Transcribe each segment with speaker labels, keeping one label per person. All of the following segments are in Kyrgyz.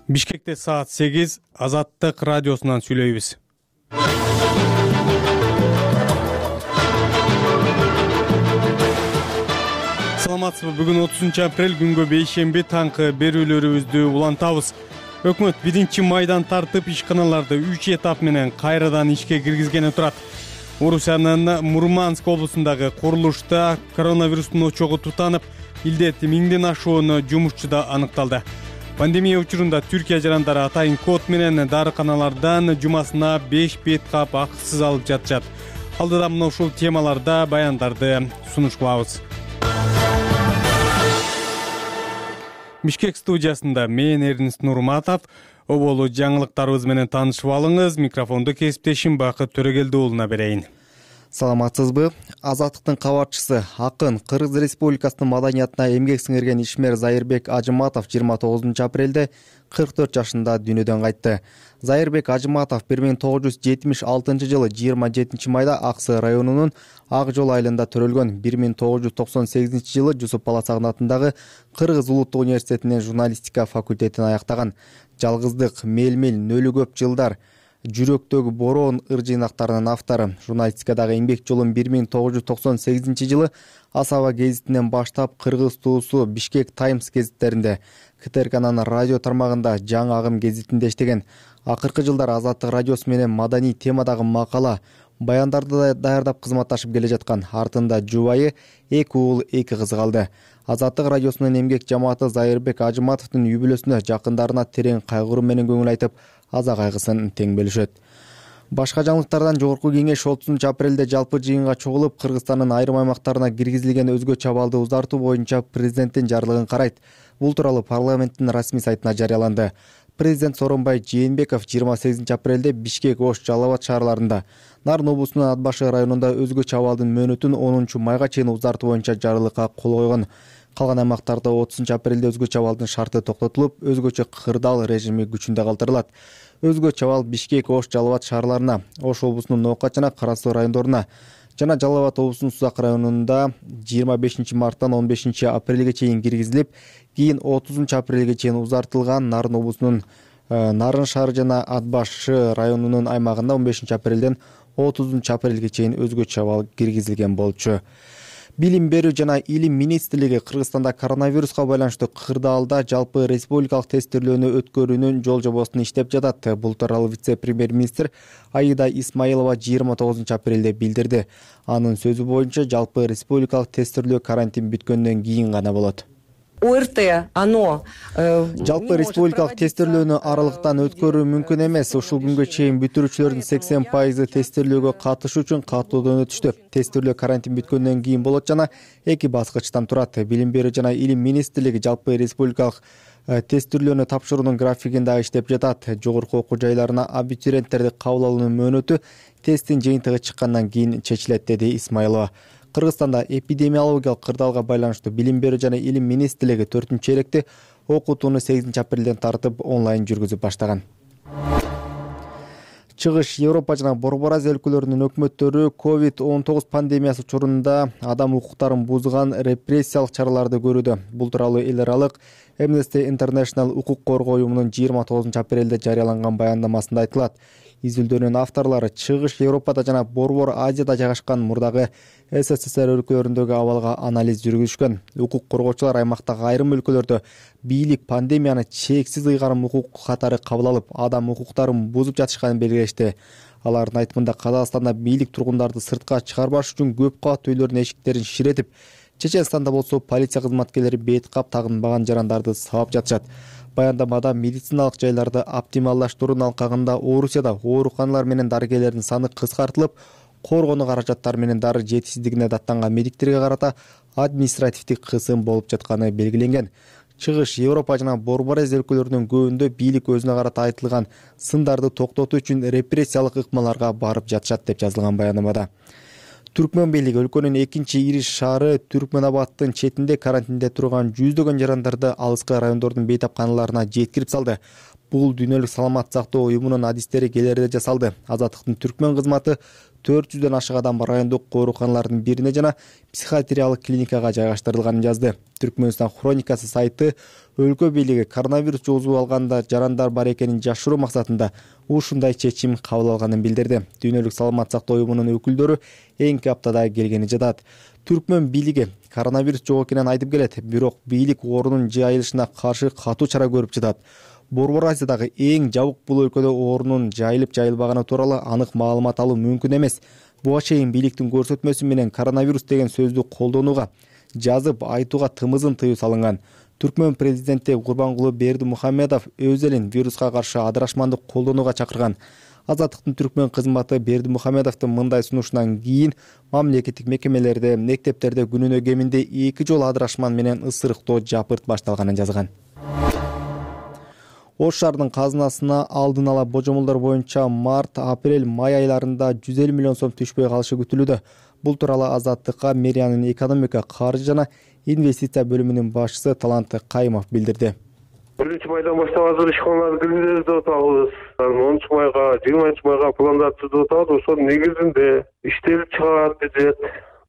Speaker 1: Бишкекте саат 8 Азаттык радиосунан сүйлөйбүз. Саламатсызбы? Бүгүн 30 апрель күнгө бейшемби таңкы берүүлөрүбүздү улантабыз. Өкмөт 1 майдан тартып ишканаларды 3 этап менен кайрадан ишке киргизгени турат. Орусиянын Мурманск облусундагы курулушта коронавирустун очогу тутанып, илдет 1000ден ашуун жумушчуда аныкталды. Пандемия учурунда Түркия жарандары атайын код менен дарыканалардан жумасына 5 бет кап акысыз алып жатышат. Алдыда мына ушул темаларда баяндарды сунуш кылабыз. Бишкек студиясында мен Эрнест Нурматов. Оболу жаңылыктарыбыз менен таанышып алыңыз. Микрофонду кесиптешим Бакыт Төрөгелди уулуна берейин.
Speaker 2: Саламатсызбы? Азаттыктын кабарчысы, акын, Кыргыз Республикасынын маданиятына эмгек сиңирген ишмер Зайырбек Ажыматов 29 апрелде 44 жашында дүйнөдөн кайтты. Зайырбек Ажыматов 1976 жылы 27 майда Аксы районунун Ак жол айылында төрөлгөн. 1998 жылы Жусуп Баласагын атындагы Кыргыз улуттук университетинин журналистика факультетин аяктаган. Жалгыздык, мелмил, нөлү көп жылдар, жүрөктөгү бороон ыр жыйнактарынын автору. Журналистикадагы эмгек жолун 1998 жылы Асаба гезитинен баштап Кыргыз туусу Бишкек Таймс гезиттеринде, КТРКнын радио тармагында Жаңы Агым гезитинде иштеген. Акыркы жылдар Азаттык радиосу менен маданий темадагы макала, баяндарды даярдап кызматташып келе жаткан. Артында жубайы 2 уул 2 кызы калды. Азаттык радиосунун эмгек жамааты Зайырбек Ажыматовдун юбилесине жакындарына терең кайгыруу менен көңүл айтып, аза кайгысын тең бөлүшөт. Башка жаңылыктардан Жогорку кеңеш 30 апрелде жалпы жыйынга чогулуп, Кыргызстандын айрым аймактарына киргизилген өзгөчө абалды узартуу боюнча президенттин жарлыгын карайт. Бул тууралуу парламенттин расмий сайтына жарыяланды. Президент Сооронбай Жээнбеков 28 апрелде Бишкек, Ош, Жалал Абад шаарларында, Нарын облусунун Ат башы районунда өзгөчө абалдын мөөнөтүн 10 майга чейин узартуу боюнча жарлыкка кол койгон. Калган аймактарда 30 апрелде өзгөчө абалдын шарты токтотулуп, өзгөчө кырдаал режими күчүндө калтырылат. Өзгөчө абал Бишкек, Ош, Жалал Абад шаарларына, Ош облусунун Ноокат жана Кара Суу райондоруна жана Жалал Абад облусунун Сузак районунда 25 марттан 15 апрелге чейин киргизилип, кийин 30 апрелге чейин узартылган. Нарын облусунун Нарын шаары жана Ат башы районунун аймагында 15 апрелден 30 апрелге чейин өзгөчө абал киргизилген болчу. Билим берүү жана илим министрлиги Кыргызстанда коронавируска байланыштуу кырдаалда жалпы республикалык тестирлөөнү өткөрүүнүн жол жобосун иштеп жатат. Бул тууралуу вице-премьер-министр Аида Исмаилова 29 апрелде билдирди. Анын сөзү боюнча жалпы республикалык тестирлөө карантин бүткөндөн кийин гана болот. Жалпы республикалык тестирлөөнү аралыктан өткөрүү мүмкүн эмес. Ушул күнгө чейин бүтүрүүчүлөрдүн 80% тестирлөөгө катышуу үчүн катуудан өтүштү. Тестирлөө карантин бүткөндөн кийин болот жана 2 баскычтан турат. Билим берүү жана илим министрлиги жалпы республикалык тестирлөөнү тапшыруунун графигин дагы иштеп жатат. Жогорку окуу жайларына абитуриенттерди кабыл алуунун мөөнөтү тесттин жыйынтыгы чыккандан кийин чечилет, деди Исмаилова. Кыргызстанда эпидемиологиялык кырдаалга байланыштуу Билим берүү жана илим министрлиги 4-чейректе окутууну 8 апрелден тартып онлайн жүргүзүп баштаган. Чыгыш Европа жана Борбор Азия өлкөлөрүнүн өкмөттөрү COVID-19 пандемиясы учурунда адам укуктарын бузган репрессиялык чараларды көрүүдө. Бул тууралуу эл аралык Amnesty International укук коргоо уюмунун 29 апрелде жарыяланган баяндамасында айтылат. Изилдөөнүн авторлору Чыгыш Европада жана Борбор Азияда жайгашкан мурдагы СССР өлкөлөрүндөгү абалга анализ жүргүзүшкөн. Укук коргоочулар аймактагы айрым өлкөлөрдө бийлик пандемияны чексиз ыйгарым укук катары кабыл алып, адам укуктарын бузуп жатышканын белгилешти. Алардын айтымында Казакстанда бийлик тургундарды сыртка чыгарбаш үчүн көп кабаттуу үйлөрдүн эшиктерин ширетип, Чеченстанда болсо полиция кызматкерлери бет кап тагынбаган жарандарды сабап жатышат. Баяндамада медициналык жайларды оптималдаштыруунун алкагында Орусияда ооруканалар менен дарыгерлердин саны кыскартылып, коргонуу каражаттары менен дары жетишсиздигине даттанган медиктерге карата административдик кысым болуп жатканы белгиленген. Чыгыш Европа жана Борбор Азия өлкөлөрүнүн көбүндө бийлик өзүнө карата айтылган сындарды токтотуу үчүн репрессиялык ыкмаларга барып жатышат деп жазылган баяндамада. Түркмөн бийлиги өлкөнүн экинчи ири шаары Түркмөнабадтын четинде карантинде турган жүздөгөн жарандарды алыскы райондордун бейтапканаларына жеткирип салды. Бул Дүйнөлүк саламаттык сактоо уюмунун адистери келерде жасалды. Азаттыктын түркмөн кызматы 400дөн ашык адам райондук ооруканалардын бирине жана психиатриялык клиникага жайгаштырылганын жазды. Түркмөнстан хроникасы сайты өлкө бийлиги коронавирус жугузуп алганда жарандар бар экенин жашыруу максатында ушундай чечим кабыл алганын билдирди. Дүйнөлүк саламаттык сактоо уюмунун өкүлдөрү эңки аптада келгени жатат. Түркмөн бийлиги коронавирус жок экенин айтып келет, бирок бийлик оорунун жайылышына каршы катуу чара көрүп жатат. Борбор Азиядагы эң жабык бул өлкөдө оорунун жайылып жайылбаганы тууралуу анык маалымат алуу мүмкүн эмес. Буга чейин бийликтин көрсөтмөсү менен коронавирус деген сөздү колдонууга, жазып айтууга тымызын тыюу салынган. Түркмөн президенти Гурбангулы Бердимухамедов өз элин вируска каршы адырашмандык колдонууга чакырган. Азаттыктын түркмөн кызматы Бердимухамедовдун мындай сунушунан кийин мамлекеттик мекемелерде, мектептерде күнүнө кеминде 2 жолу адырашман менен ысырыктоо жапырт башталганын жазган. Ош шаарынын казынасына алдын ала божомолдор боюнча март, апрель, май айларында 150 миллион сом түшпөй калышы күтүлүүдө. Бул тууралуу Азаттыкка мэриянын экономика, каржы жана инвестиция бөлүмүнүн башчысы Талант Кайымов билдирди.
Speaker 3: 1-майдан баштап азыр ишканаларды киргизебиз деп атабыз. 10-майга, 20-майга пландар түзүп атабыз. Ошонун негизинде иштелип чыгат бюджет.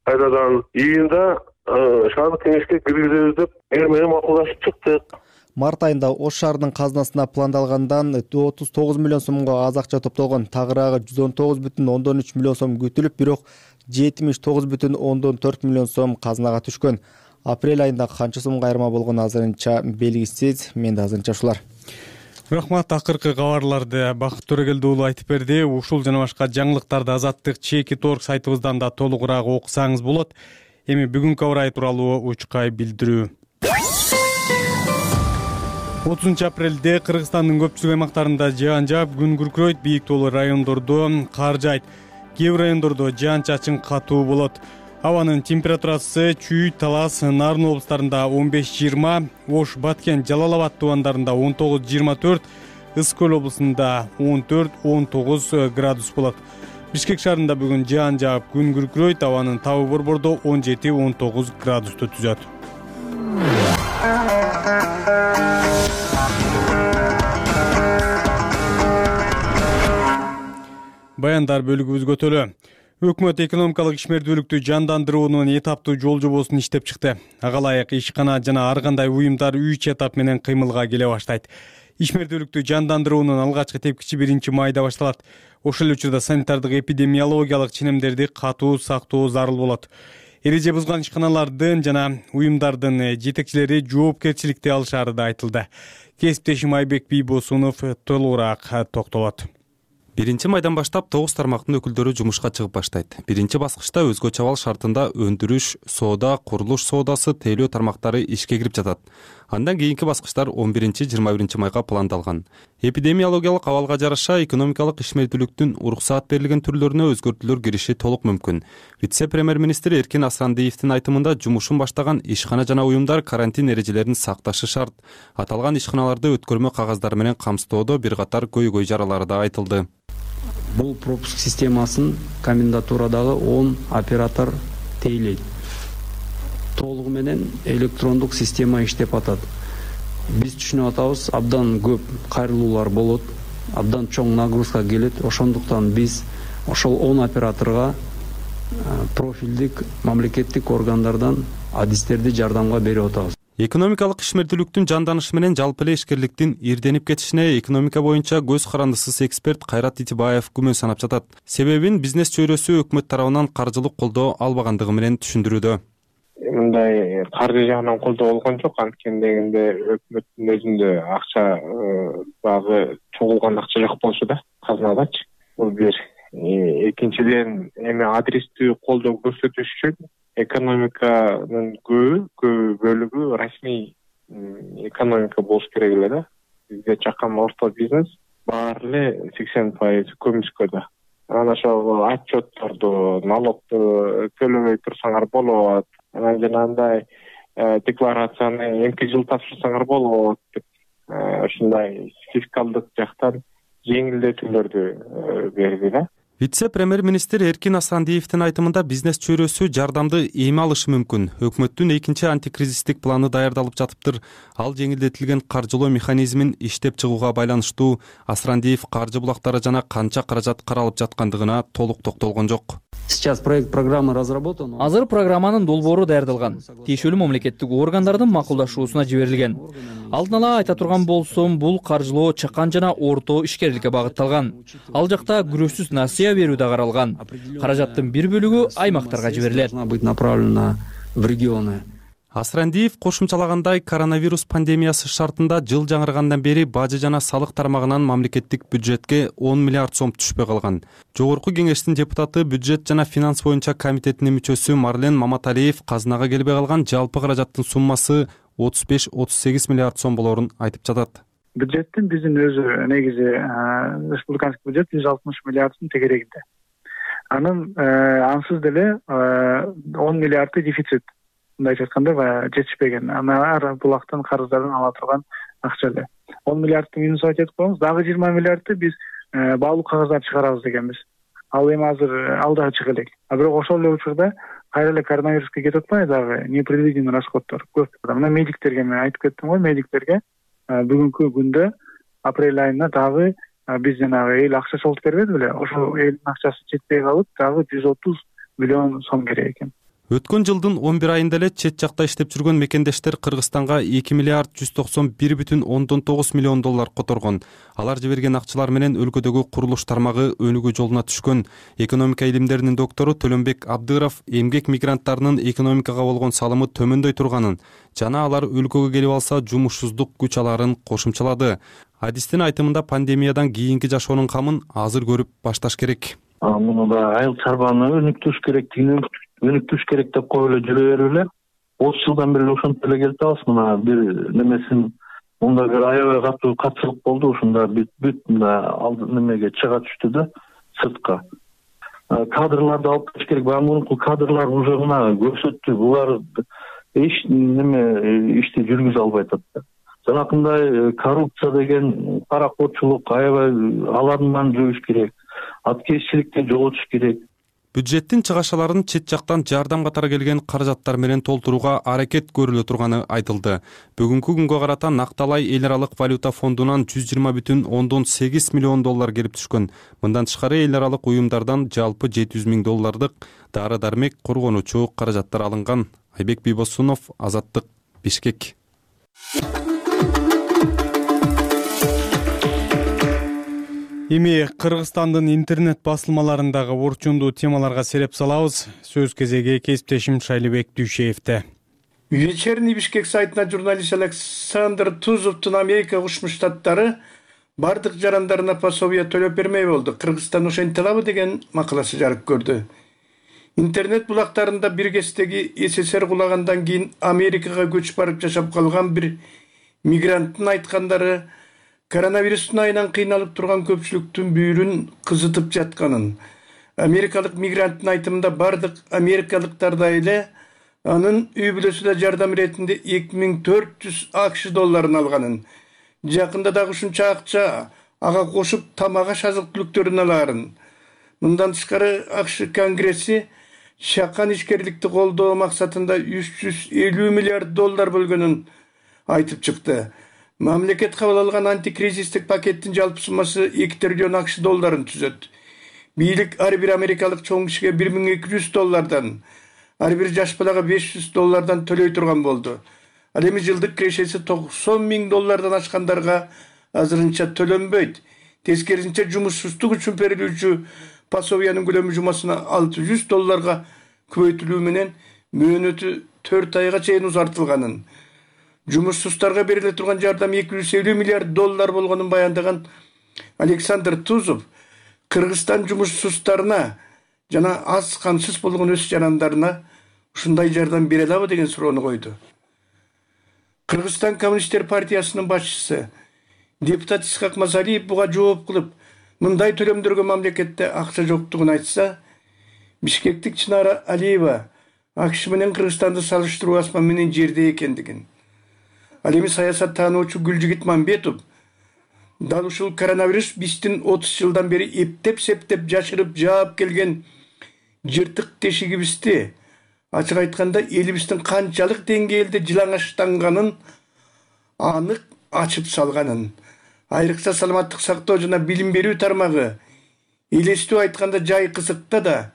Speaker 3: Кайрадан июнда шаардык кеңешке киргизебиз деп эр менен макулдашып чыктык.
Speaker 2: Март айында Ош шаарынын казынасына пландалгандан 39 миллион сомго аз акча топтолгон. Тагыраагы 119,3 миллион сом күтүлүп, бирок 79,4 миллион сом казынага түшкөн. Апрель айында канча сомго айырма болгону азырынча белгисиз. Менде азырынча ушулар.
Speaker 1: Рахмат, акыркы кабарларды Бакыт Төрөгелди уулу айтып берди. Ушул жана башка жаңылыктарды Азаттык ЧК.org сайтыбыздан да толугураак окусаңыз болот. Эми бүгүнкү аба ырайы тууралуу учкай билдирүү. 30 апрелде Кыргызстандын көпчүлүк аймактарында жаан жаап, күн күркүрөйт, бийик тоолуу райондордо кар жаайт. Кээ бир райондордо жаан-чачын катуу болот. Абанын температурасы Чүй, Талас, Нарын облустарында 15-20, Ош, Баткен, Жалал Абад тубандарында 19-24, Ысык көл облусунда 14-19 градус болот. Бишкек шаарында бүгүн жаан жаап, күн күркүрөйт, абанын табы борбордо 17-19 градусту түзөт. Баяндар бөлүгүбүзгө өтөлү. Өкмөт экономикалык ишмердүүлүктү жандандыруунун этаптуу жол жобосун иштеп чыкты. Ага ылайык ишкана жана ар кандай уюмдар 3 этап менен кыймылга келе баштайт. Ишмердүүлүктү жандандыруунун алгачкы тепкичи 1-майда башталат. Ошол эле учурда санитардык эпидемиологиялык ченемдерди катуу сактоо зарыл болот. Эреже бузган ишканалардын жана уюмдардын жетекчилери жоопкерчиликти алышары да айтылды. Кесиптешим Айбек Бийбосунов толугураак токтолот.
Speaker 4: 1-майдан баштап 9 тармактын өкүлдөрү жумушка чыгып баштайт. Биринчи баскычта өзгөчө абал шартында өндүрүш, соода, курулуш соодасы, тейлөө тармактары ишке кирип жатат. Андан кийинки баскычтар 11-21 майга пландалган. Эпидемиологиялык абалга жараша экономикалык ишмердүүлүктүн уруксаат берилген түрлөрүнө өзгөртүүлөр кириши толук мүмкүн. Вице-премьер-министр Эркин Асрандиевдин айтымында жумушун баштаган ишкана жана уюмдар карантин эрежелерин сакташы шарт. Аталган ишканаларды өткөрмө кагаздары менен камсыздоодо бир катар көйгөй жаралары да айтылды.
Speaker 5: Бул пропуск системасын комендатурадагы 10 оператор тейлейт. Толугу менен электрондук система иштеп атат. Биз түшүнүп атабыз, абдан көп кайрылуулар болот, абдан чоң нагрузка келет. Ошондуктан биз ошол 10 операторго профилдик мамлекеттик органдардан адистерди жардамга берип атабыз.
Speaker 4: Экономикалык ишмердүүлүктүн жанданышы менен жалпы эле ишкерликтин ирденип кетишине экономика боюнча көз карандысыз эксперт Кайрат Итибаев күмөн санап жатат. Себебин бизнес чөйрөсү өкмөт тарабынан каржылык колдоо албагандыгы менен түшүндүрүүдө.
Speaker 3: Мындай каржы жагынан колдоо болгон жок, анткени дегенде өкмөттүн өзүндө акча багы чогулган акча жок болчу да, казынадачы. Бул бир. Экинчиден, эми адрестүү колдоо көрсөтүш үчүн экономиканын көп бөлүгү расмий экономика болуш керек эле да. Бизде чакан орто бизнес баары эле 80% көмүскөдө. Анан ошол отчетторду, налогду төлөбөй турсаңар болот. Анан жанагындай декларацияны эмки жыл тапшырсаңар болот деп ушундай фискалдык жактан жеңилдетүүлөрдү берди да.
Speaker 4: Вице-премьер-министр Эркин Асрандиевдин айтымында бизнес чөйрөсү жардамды эми алышы мүмкүн. Өкмөттүн экинчи антикризистик планы даярдалып жатыптыр. Ал жеңилдетилген каржылоо механизмин иштеп чыгууга байланыштуу. Асрандиев каржы булактары жана канча каражат каралып жаткандыгына толук токтолгон жок.
Speaker 5: Сейчас проект программы разработан.
Speaker 6: Азыр программанын долбоору даярдалган. Тиешелүү мамлекеттик органдардын макулдашуусуна жиберилген. Алдын ала айта турган болсом, бул каржылоо чакан жана орто ишкерликке багытталган. Ал жакта күрөшсүз насыя берүү да каралган. Каражаттын бир бөлүгү аймактарга жиберилет.
Speaker 5: Быть направлена в регионы.
Speaker 4: Асрандиев кошумчалагандай, коронавирус пандемиясы шартында жыл жаңыргандан бери бажы жана салык тармагынан мамлекеттик бюджетке 10 миллиард сом түшпөй калган. Жогорку кеңештин депутаты, бюджет жана финанс боюнча комитетинин мүчөсү Марлен Маматалиев казынага келбей калган жалпы каражаттын суммасы 35-38 миллиард сом болорун айтып жатат.
Speaker 7: Бюджеттин биздин өзү негизи республиканский бюджет 160 миллиард сом тегерегинде. Анын ансыз деле 10 миллиарды дефицит. Мындайча айтканда жетишпеген. Ар булактан карыздардан ала турган акча эле. 10 миллиардты минус айтып коебуз. Дагы 20 миллиардты биз баалуу кагаздар чыгарабыз дегенбиз. Ал эми азыр алда чыга элек. Бирок ошол эле учурда кайра эле коронавируска кетип атпайбы дагы непредвиденный расходдор көп. Мына медиктерге мен айтып кеттим го, медиктерге бүгүнкү күндө апрель айына дагы биз жанагы эл акча чогултуп бербеди беле? Ошол элдин акчасы жетпей калып, дагы 130 миллион сом керек экен.
Speaker 4: Өткөн жылдын 11 айында эле чет жакта иштеп жүргөн мекендештер Кыргызстанга 2 миллиард 191,9 миллион доллар которгон. Алар жиберген акчалар менен өлкөдөгү курулуш тармагы өнүгүү жолуна түшкөн. Экономика илимдеринин доктору Төлөнбек Абдыров эмгек мигранттарынын экономикага болгон салымы төмөндөй турганын жана алар өлкөгө келип алса жумушсуздук күч аларын кошумчалады. Адистин айтымында пандемиядан кийинки жашоонун камын азыр көрүп башташ керек.
Speaker 8: Муну да айыл чарбаны өнүктүрүш керек деп коюп эле жүрө берип эле 30 жылдан бери ошентип эле келип атабыз. Мына бир немесин мында бир аябай катуу катчылык болду. Ушунда бүт немеге чыга түштү да сыртка. Кадрларды алып келиш керек. Мурунку кадрлар уже мына көрсөттү. Булар эч неме ишти жүргүзө албай атат. Жанакындай коррупция деген паракотчулук аябай алардан жойуш керек. Аткезчиликти жоготуш керек.
Speaker 4: Бюджеттин чыгашаларын чет жактан жардам катары келген каражаттар менен толтурууга аракет көрүлө турганы айтылды. Бүгүнкү күнгө карата Накталай эл аралык валюта фондунан 120,8 миллион доллар келип түшкөн. Мындан тышкары эл аралык уюмдардан жалпы 700 миң доллардык дары-дармек, коргонуучу каражаттар алынган. Айбек Бийбосунов, Азаттык, Бишкек.
Speaker 1: Эми Кыргызстандын интернет басылмаларындагы орчундуу темаларга сереп салабыз. Сөз кезеги кесиптешим Шайлыбек Дүйшеевде.
Speaker 9: Вечерний Бишкек сайтына журналист Александр Тузовдун Америка Кошмо Штаттары бардык жарандарына пособие төлөп бермей болду. Кыргызстан ошентип алабы деген макаласы жарык көрдү. Интернет булактарында бир кездеги СССР кулагандан кийин Америкага көчүп барып жашап калган бир мигранттын айткандары коронавирустун айынан кыйналып турган көпчүлүктүн бүйүрүн кызытып жатканын. Америкалык мигранттын айтымында бардык америкалыктардай эле анын үй бүлөсү да жардам иретинде 2400 АКШ долларын алганын. Жакында дагы ушунча акча ага кошуп тамак аш азык-түлүктөрүн алаарын. Мындан тышкары АКШ Конгресси чакан ишкерликти колдоо максатында 350 миллиард доллар бөлгөнүн айтып чыкты. Мамлекет кабыл алган антикризистик пакеттин жалпы суммасы 2 триллион АКШ долларын түзөт. Бийлик ар бир америкалык чоң кишиге 1200 доллардан, ар бир жаш балага 500 доллардан төлөй турган болду. Ал эми жылдык кирешеси 90 миң доллардан ашкандарга азырынча төлөнбөйт. Тескерисинче жумушсуздук үчүн берилүүчү пособиянын көлөмү жумасына 600 долларга көбөйтүлүү менен мөөнөтү 4 айга чейин узартылганын. Жумушсузддарга бериле турган жардам 250 миллиард доллар болгонун баяндаган Александр Тузов Кыргызстан жумушсузддарына жана аз камсыз болгон өз жарандарына ушундай жардам бере алабы деген суроону койду. Кыргызстан Коммунисттер партиясынын башчысы депутат Исхак Мазалиев буга жооп кылып, мындай төлөмдөргө мамлекетте акча жоктугун айтса, Бишкектик Чынара Алиева АКШ менен Кыргызстанды салыштыруу асман менен жерде экендигин. Ал эми саясаттануучу Гүлжигит Мамбетов Дал ушул коронавирус биздин 30 жылдан бери эптеп-септеп жашырып жаап келген жыртык тешигибизди, ачык айтканда элибиздин канчалык деңгээлде жылаңачтанганын анык ачып салганын, айрыкча саламаттык сактоо жана билим берүү тармагы элестүү айтканда жай кызыкта да,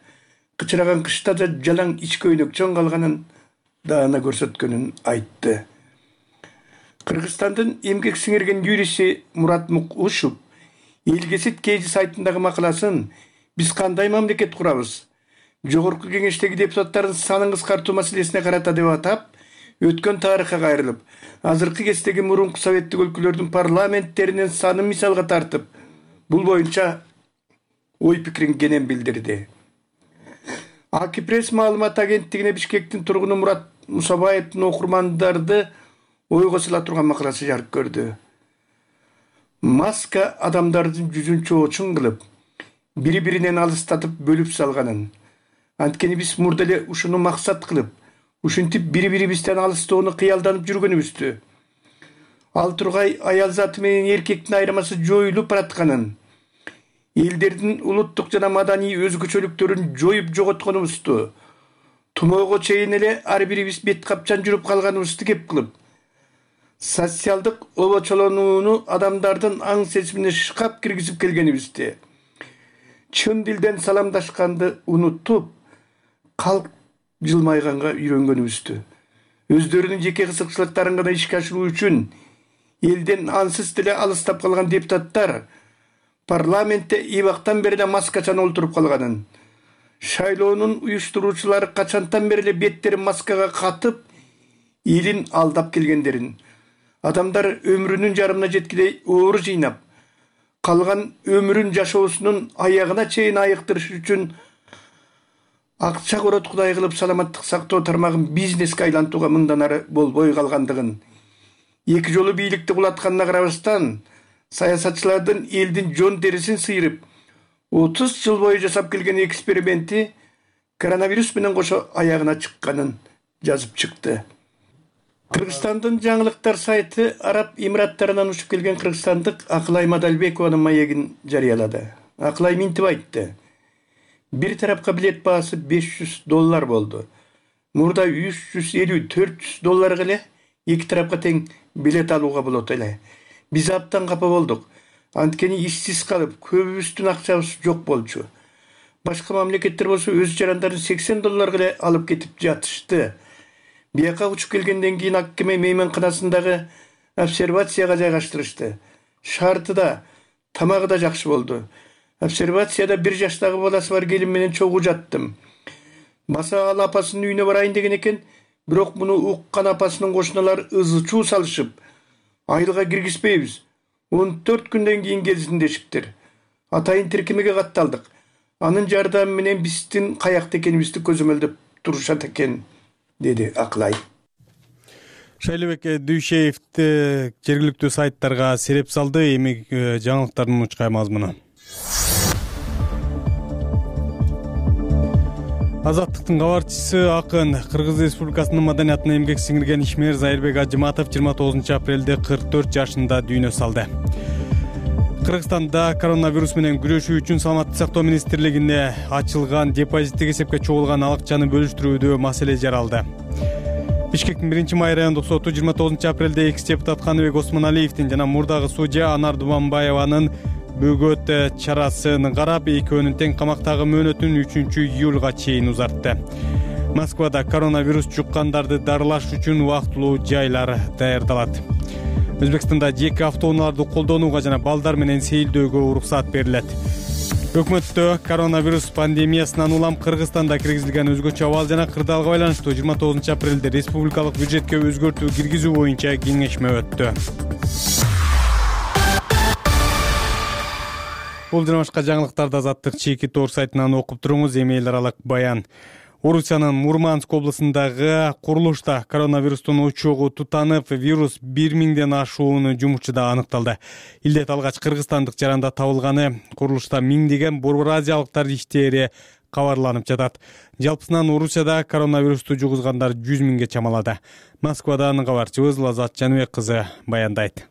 Speaker 9: кычыраган кышта да жалаң ич көйнөкчөн калганын даана көрсөткөнүн айтты. Кыргызстандын эмгек сиңирген юристи Мурат Мукушев Элгесит Кейжи сайтындагы макаласын «Биз кандай мамлекет курабыз? Жогорку кеңештеги депутаттардын санын кыскартуу маселесине карата» деп атап, өткөн тарыхка кайрылып, азыркы кездеги мурунку советтик өлкөлөрдүн парламенттеринин санын мисалга тартып, бул боюнча ой пикирин кенен билдирди. Акипресс маалымат агенттигине Бишкектин тургуну Мурат Мусабаевдин окурмандарды ойго сала турган макаласы жарык көрдү. Маска адамдардын жүзүн чоочун кылып, бири-биринен алыстатып бөлүп салганын, анткени биз мурда эле ушуну максат кылып, ушинтип бири-бирибизден алыстоону кыялданып жүргөнүбүздү. Ал тургай аял заты менен эркектин айырмасы жоюлуп баратканын, элдердин улуттук жана маданий өзгөчөлүктөрүн жоюп жоготконубузду, тумоого чейин эле ар бирибиз бет капчан жүрүп калганыбызды кеп кылып, социалдык обочолонууну адамдардын аң сезимине шкап киргизип келгенибизди, чын дилден саламдашканды унутуп, калк жылмайганга үйрөнгөнүбүздү, өздөрүнүн жеке кызыкчылыктарын гана ишке ашыруу үчүн элден ансыз деле алыстап калган депутаттар парламентте эбактан бери эле маскачан олтуруп калганын, шайлоонун уюштуруучулары качантан бери эле беттерин маскага катып, элин алдап келгендерин, адамдар өмүрүнүн жарымына жеткидей оор жыйнап, калган өмүрүн жашоосунун аягына чейин айыктырыш үчүн акча корот кудай кылып саламаттык сактоо тармагын бизнеске айлантууга мындан ары болбой калгандыгын, эки жолу бийликти кулатканына карабастан, саясатчылардын элдин жон терисин сыйрып, 30 жыл бою жасап келген эксперименти коронавирус менен кошо аягына чыкканын жазып чыкты. Кыргызстандын жаңылыктар сайты Араб Эмираттарынан учуп келген кыргызстандык Акылай Мадалбекованын маегин жарыялады. Акылай минтип айтты: бир тарапка билет баасы $500 болду. Мурда $350-400 эле эки тарапка тең билет алууга болот эле. Биз абдан капа болдук. Анткени ишсиз калып, көбүбүздүн акчабыз жок болчу. Башка мамлекеттер болсо өз жарандарын $80 эле алып кетип жатышты. Бияка учуп келгенден кийин Аккеме мейманканасындагы обсервацияга жайгаштырышты. Шарты да, тамагы да жакшы болду. Обсервацияда 1 жаштагы баласы бар келин менен чогуу жаттым. Баса ал апасынын үйүнө барайын деген экен, бирок муну уккан апасынын кошуналары ызы-чуу салышып, айылга киргизбейбиз. 14 күндөн кийин келсин дешиптир. Атайын тиркемеге катталдык. Анын жардамы менен биздин каякта экенибизди көзөмөлдөп турушат экен, деди Акылай.
Speaker 1: Шайлыбек Дүйшеевди жергиликтүү сайттарга сереп салды. Эми жаңылыктардын мучкай мазмуну. Азаттыктын кабарчысы акын Кыргыз Республикасынын маданиятына эмгек сиңирген ишмер Зайырбек Ажыматов 29 апрелде 44 жашында дүйнө салды. Кыргызстанда коронавирус менен күрөшүү үчүн Саламаттык сактоо министрлигине ачылган депозиттик эсепке чогулган акчаны бөлүштүрүүдө маселе жаралды. Бишкектин 1-май райондук соту 29 апрелде экс-депутат Каныбек Осмоналиевдин жана мурдагы судья Анар Дубанбаеванын бөгөт чарасын карап, экөөнүн тең камактагы мөөнөтүн 3-июлга чейин узартты. Москвада коронавирус жуккандарды дарылаш үчүн убактылуу жайлар даярдалат. Өзбекстанда жеке автоунааларды колдонууга жана балдар менен сейилдөөгө уруксат берилет. Өкмөттө коронавирус пандемиясынан улам Кыргызстанда киргизилген өзгөчө абал жана кырдаалга байланыштуу 29 апрелде республикалык бюджетке өзгөртүү киргизүү боюнча кеңешме өттү. Бул жана башка жаңылыктарды Азаттык чийки тоор сайтынан окуп туруңуз. Эми эл аралык баян. Орусиянын Мурманск облусундагы курулушта коронавирустун очогу тутанып, вирус 1000ден ашуун жумушчуда аныкталды. Илдет алгач кыргызстандык жаранда табылганы, курулушта миңдеген борбор азиялыктар иштери кабарланып жатат. Жалпысынан Орусияда коронавирусту жугузгандар 100 000ге чамалады. Москвадан кабарчыбыз Лазат Жаныбек кызы баяндайт.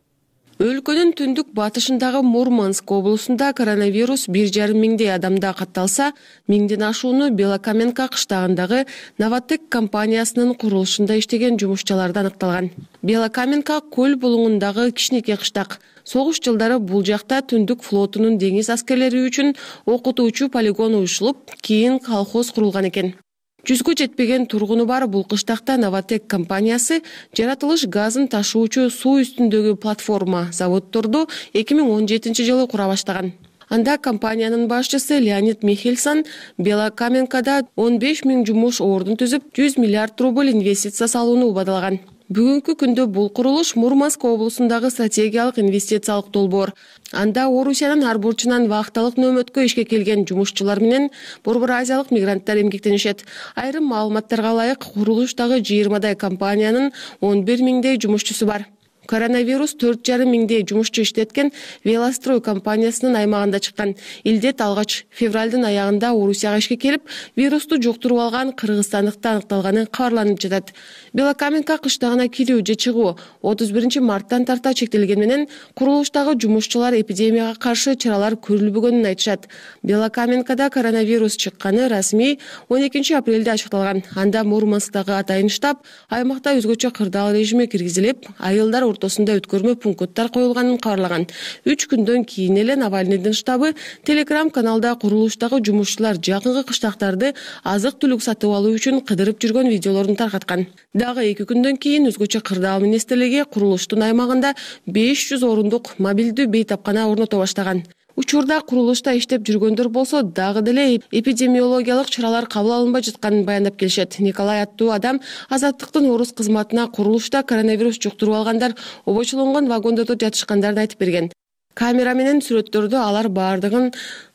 Speaker 10: Өлкөнүн түндүк батышындагы Мурманск облусунда коронавирус 1,5 миңдей адамда катталса, миңден ашууну Белокаменка кыштагындагы Новотек компаниясынын курулушунда иштеген жумушчуларда аныкталган. Белокаменка көл булуңундагы кичинекей кыштак. Согуш жылдары бул жакта түндүк флотунун деңиз аскерлери үчүн окутуучу полигон уюшулуп, кийин колхоз курулган экен. 100гө жетпеген тургуну бар бул кыштакта Новотек компаниясы жаратылыш газын ташуучу суу үстүндөгү платформа заводдорду 2017 жылы кура баштаган. Анда компаниянын башчысы Леонид Михельсон Белокаменкада 15 миң жумуш ордун түзүп, 100 миллиард рубль инвестиция салууну убадалаган. Бүгүнкү күндө бул курулуш Мурманск облусундагы стратегиялык инвестициялык долбоор. Анда Орусиянын ар бурчунан вахталык нөөмөткө ишке келген жумушчулар менен Борбор Азиялык мигранттар эмгектенишет. Айрым маалыматтарга ылайык, курулуштагы 20дай компаниянын 11 миңдей жумушчусу бар. Коронавирус 4,5 миңдей жумушчу иштеткен Велострой компаниясынын аймагында чыккан. Илдет алгач февралдын аягында Орусияга ишке келип, вирусту жуктуруп алган кыргызстандыкта аныкталганы кабарланып жатат. Белокаменка кыштагына кирүү же чыгуу 31 марттан тарта чектелген менен курулуштагы жумушчулар эпидемияга каршы чаралар көрүлбөгөнүн айтышат. Белокаменкада коронавирус чыкканы расмий 12 апрелде ачыкталган. Анда Мурмансктагы атайын штаб аймакта өзгөчө кырдаал режими киргизилип, айылдар ортосунда өткөрмө пункттар коюлганын кабарлаган. 3 күндөн кийин эле Навальныйдын штабы Telegram каналда курулуштагы жумушчулар жакынкы кыштактарды азык-түлүк сатып алуу үчүн кыдырып жүргөн видеолорун таркаткан. Дагы 2 күндөн кийин өзгөчө кырдаал министрлиги курулуштун аймагында 500 орундук мобилдүү бейтапкана орното баштаган. Учурда курулушта иштеп жүргөндөр болсо дагы деле эпидемиологиялык чаралар кабыл алынбай жатканын баяндап келишет. Николай аттуу адам Азаттыктын орус кызматына курулушта коронавирус жуктуруп алгандар обочолонгон вагондордо жатышкандарын айтып берген. Камера менен сүрөттөрдө алар баардыгын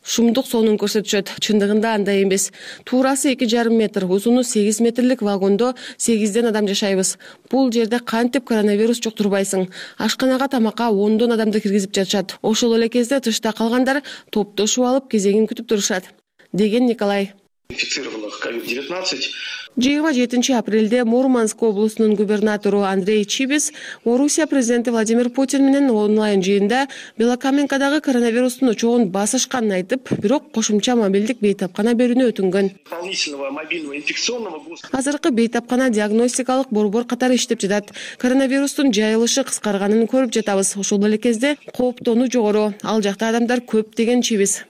Speaker 10: шумдук сонун көрсөтүшөт. Чындыгында андай эмес. Туурасы 2,5 метр, узуну 8 метрлик вагондо 8ден адам жашайбыз. Бул жерде кантип коронавирус жуктурбайсың? Ашканага тамакка 10дон адамды киргизип жатышат. Ошол эле кезде тышта калгандар топтошуп алып кезегин күтүп турушат, деген Николай.
Speaker 11: Инфицированных COVID-19.
Speaker 10: 27 апрелде Мурманск облусунун губернатору Андрей Чибис Орусия президенти Владимир Путин менен онлайн жыйында Белокаменкадагы коронавирустун очогун басышканын айтып, бирок кошумча мобилдик бейтапкана берүүнү өтүнгөн.
Speaker 11: Дополнительного мобильного инфекционного.
Speaker 10: Азыркы бейтапкана диагностикалык борбор катары иштеп жатат. Коронавирустун жайылышы кыскарганын көрүп жатабыз. Ошол эле кезде кооптонуу жогору. Ал жакта адамдар көп, деген Чибис.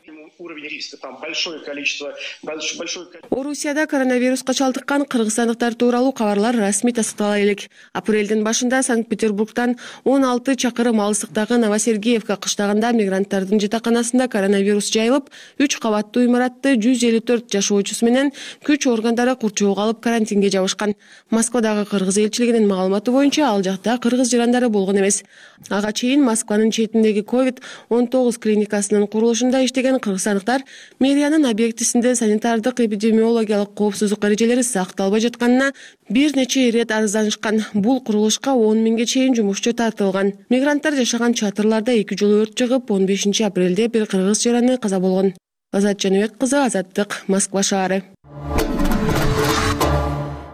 Speaker 10: Орусияда коронавируска чалдыккан кыргызстандыктар тууралуу кабарлар расмий тастыктала элек. Апрелдин башында Санкт-Петербургтан 16 чакырым алыстыктагы Новосергеевка кыштагында мигранттардын жатаканасында коронавирус жайылып, 3 кабаттуу имаратты 154 жашоочусу менен күч органдары курчоого алып карантинге жабышкан. Москвадагы кыргыз элчилигинин маалыматы боюнча ал жакта кыргыз жарандары болгон эмес. Ага чейин Москванын четиндеги COVID-19 клиникасынын курулушунда иштеген кыргызстандыктар мэриянын объектисинде санитардык эпидемиологиялык коопсуздук эрежелери сакталбай жатканына бир нече ирет арызданышкан. Бул курулушка 10 миңге чейин жумушчу тартылган. Мигранттар жашаган чатырларда 2 жолу өрт чыгып, 15 апрелде бир кыргыз жараны каза болгон. Азат Жаныбек кызы, Азаттык, Москва шаары.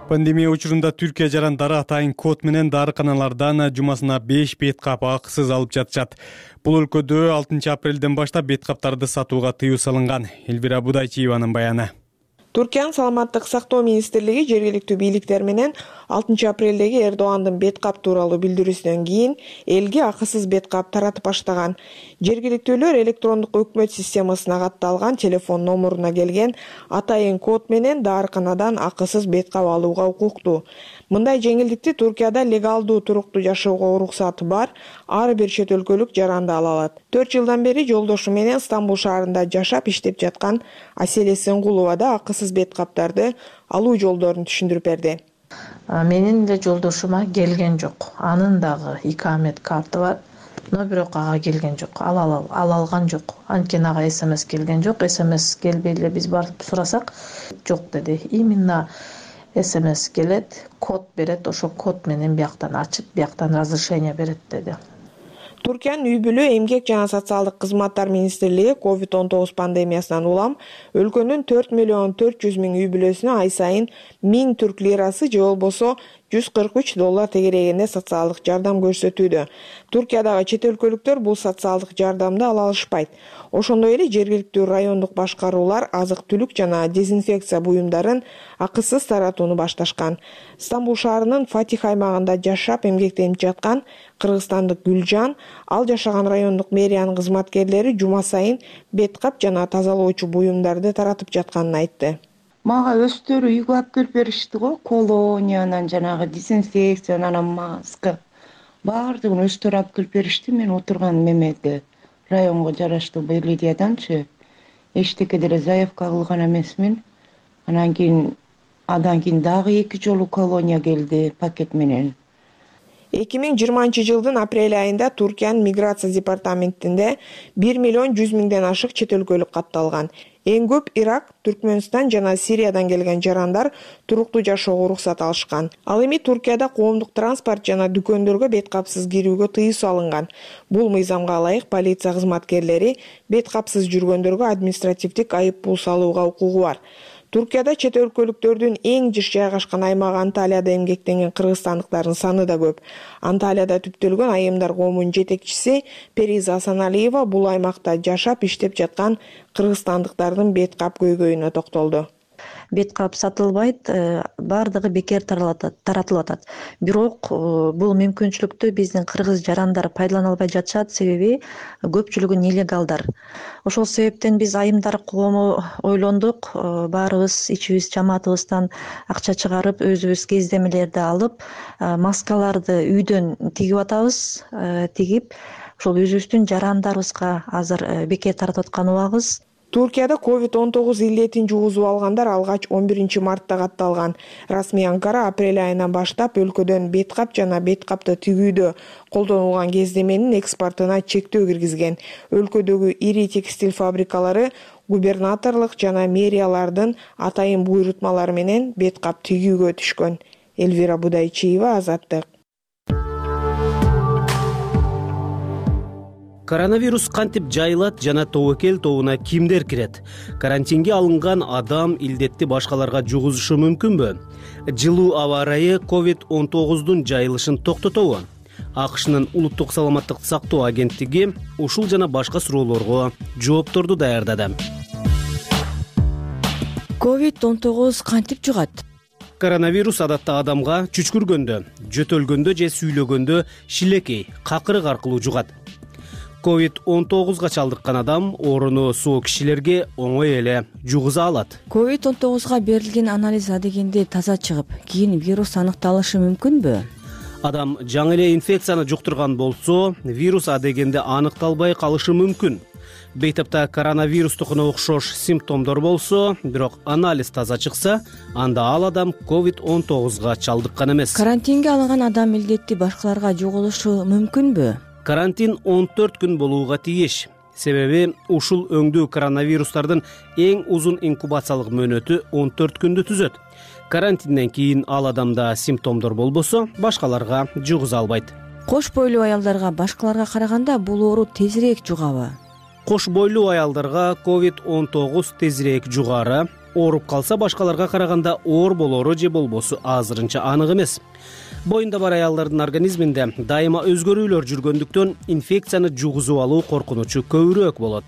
Speaker 1: Пандемия учурунда Түркия жарандары атайын код менен дарыканалардан жумасына 5 беткап акысыз алып жатышат. Бул өлкөдө 6 апрелден баштап беткаптарды сатууга тыюу салынган. Элвира Будайчиеванын баяны.
Speaker 12: Туркиянын саламаттык сактоо министрлиги жергиликтүү бийликтер менен 6 апрелдеги Эрдогандын беткап тууралуу билдирүүсүнөн кийин элге акысыз беткап таратып баштаган. Жергиликтүүлөр электрондук өкмөт системасына катталган телефон номуруна келген атайын код менен дарыканадан акысыз беткап алууга укуктуу. Мындай жеңилдикти Туркияда легалдуу туруктуу жашоого уруксаты бар ар бир чет өлкөлүк жаранды ала алат. 4 жылдан бери жолдошу менен Стамбул шаарында жашап иштеп жаткан Аселе Сенгулова да акысыз беткаптарды алуу жолдорун түшүндүрүп берди.
Speaker 13: Менин эле жолдошума келген жок. Анын дагы икамет карты бар. Но бирок ага келген жок. Ала алган жок. Анткени ага СМС келген жок. СМС келбей эле биз барып сурасак, жок деди. Именно СМС келет, код берет, ошо код менен бияктан ачып, бияктан разрешение берет деди.
Speaker 12: Туркиянын үй бүлө, эмгек жана социалдык кызматтар министрлиги COVID-19 пандемиясынан улам өлкөнүн 4,4 миллион үй бүлөсүнө ай сайын 1000 түрк лирасы же болбосо $143 тегерегинде социалдык жардам көрсөтүүдө. Туркиядагы чет өлкөлүктөр бул социалдык жардамды ала алышпайт. Ошондой эле жергиликтүү райондук башкаруулар азык-түлүк жана дезинфекция буюмдарын акысыз таратууну башташкан. Стамбул шаарынын Фатих аймагында жашап эмгектенип жаткан кыргызстандык Гүлжан ал жашаган райондук мэриянын кызматкерлери жума сайын бет кап жана тазалоочу буюмдарды таратып жатканын айтты.
Speaker 14: Мага өздөрү үйгө алып келип беришти го, колониядан жанагы дезинфекция, анан маска баардыгын өздөрү алып келип беришти. Мен отурган мемеге районго жараштуу Белидияданчы эчтеке деле заявка кылган эмесмин. Андан кийин дагы 2 жолу колония келди пакет менен.
Speaker 12: 2020 жылдын апрель айында Туркиянын миграция департаментинде 1.100.000 ашык чет өлкөлүк катталган. Эң көп Ирак, Түркмөнстан жана Сириядан келген жарандар туруктуу жашоого уруксат алышкан. Ал эми Туркияда коомдук транспорт жана дүкөндөргө бет капсыз кирүүгө тыюу салынган. Бул мыйзамга ылайык полиция кызматкерлери бет капсыз жүргөндөргө административдик айып пул салууга укугу бар. Туркияда чет өлкөлүктөрдүн эң жыш жайгашкан аймагы Анталияда эмгектенген кыргызстандыктардын саны да көп. Анталияда түптөлгөн айымдар коомунун жетекчиси Периза Асаналиева бул аймакта жашап иштеп жаткан кыргызстандыктардын бет кап көйгөйүнө токтолду.
Speaker 13: Бет кап сатылбайт, баардыгы бекер таратылып атат. Бирок бул мүмкүнчүлүктү биздин кыргыз жарандар пайдалана албай жатышат, себеби көпчүлүгү нелегалдар. Ошол себептен биз айымдар коому ойлондук, баарыбыз ичибиз жамаатыбыздан акча чыгарып, өзүбүз кездемелерди алып, маскаларды үйдөн тигип атабыз, тигип, ошол өзүбүздүн жарандарыбызга азыр бекер таратып аткан убагыбыз.
Speaker 12: Туркияда COVID-19 илдетин жугузуп алгандар алгач 11 мартта катталган. Расмий Анкара апрель айынан баштап өлкөдөн бет кап жана бет капты тигүүдө колдонулган кездеменин экспортуна чектөө киргизген. Өлкөдөгү ири текстиль фабрикалары губернаторлук жана мэриялардын атайын буйрутмалары менен бет кап тигүүгө түшкөн. Элвира Будайчиева, Азаттык.
Speaker 15: Коронавирус кантип жайылат жана тобокел тобуна кимдер кирет? Карантинге алынган адам илдетти башкаларга жугузушу мүмкүнбү? Жылуу аба ырайы COVID-19 жайылышын токтотобу? АКШнын улуттук саламаттык сактоо агенттиги ушул жана башка суроолорго жоопторду даярдады.
Speaker 16: COVID-19 кантип жугат?
Speaker 15: Коронавирус адатта адамга чүчкүргөндө, жөтөлгөндө же сүйлөгөндө шилекей, какырык аркылуу жугат. COVID-19 чалдыккан адам орunu соо кишилерге оңой эле жугуза алат.
Speaker 16: COVID-19 берилген анализ адегенде таза чыгып, кийин вирус аныкталышы мүмкүнбү?
Speaker 15: Адам жаңы эле инфекцияны жуктурган болсо, вирус адегенде аныкталбай калышы мүмкүн. Бейтапта коронавирустукуна окшош симптомдор болсо, бирок анализ таза чыкса, анда ал адам COVID-19 чалдыккан эмес.
Speaker 16: Карантинге алынган адам илдетти башкаларга жугузушу мүмкүнбү?
Speaker 15: Карантин 14 күн болууга тийиш. Себеби ушул өңдүү коронавирустардын эң узун инкубациялык мөөнөтү 14 күндү түзөт. Карантинден кийин ал адамда симптомдор болбосо, башкаларга жугуза албайт.
Speaker 16: Кош бойлуу аялдарга башкаларга караганда бул оору тезирээк жугабы?
Speaker 15: Кош бойлуу аялдарга COVID-19 тезирээк жугары. Ооруп калса башкаларга караганда оор болору же болбосу азырынча анык эмес. Боюнда бар аялдардын организминде дайыма өзгөрүүлөр жүргөндүктөн инфекцияны жугузуп алуу коркунучу көбүрөөк болот.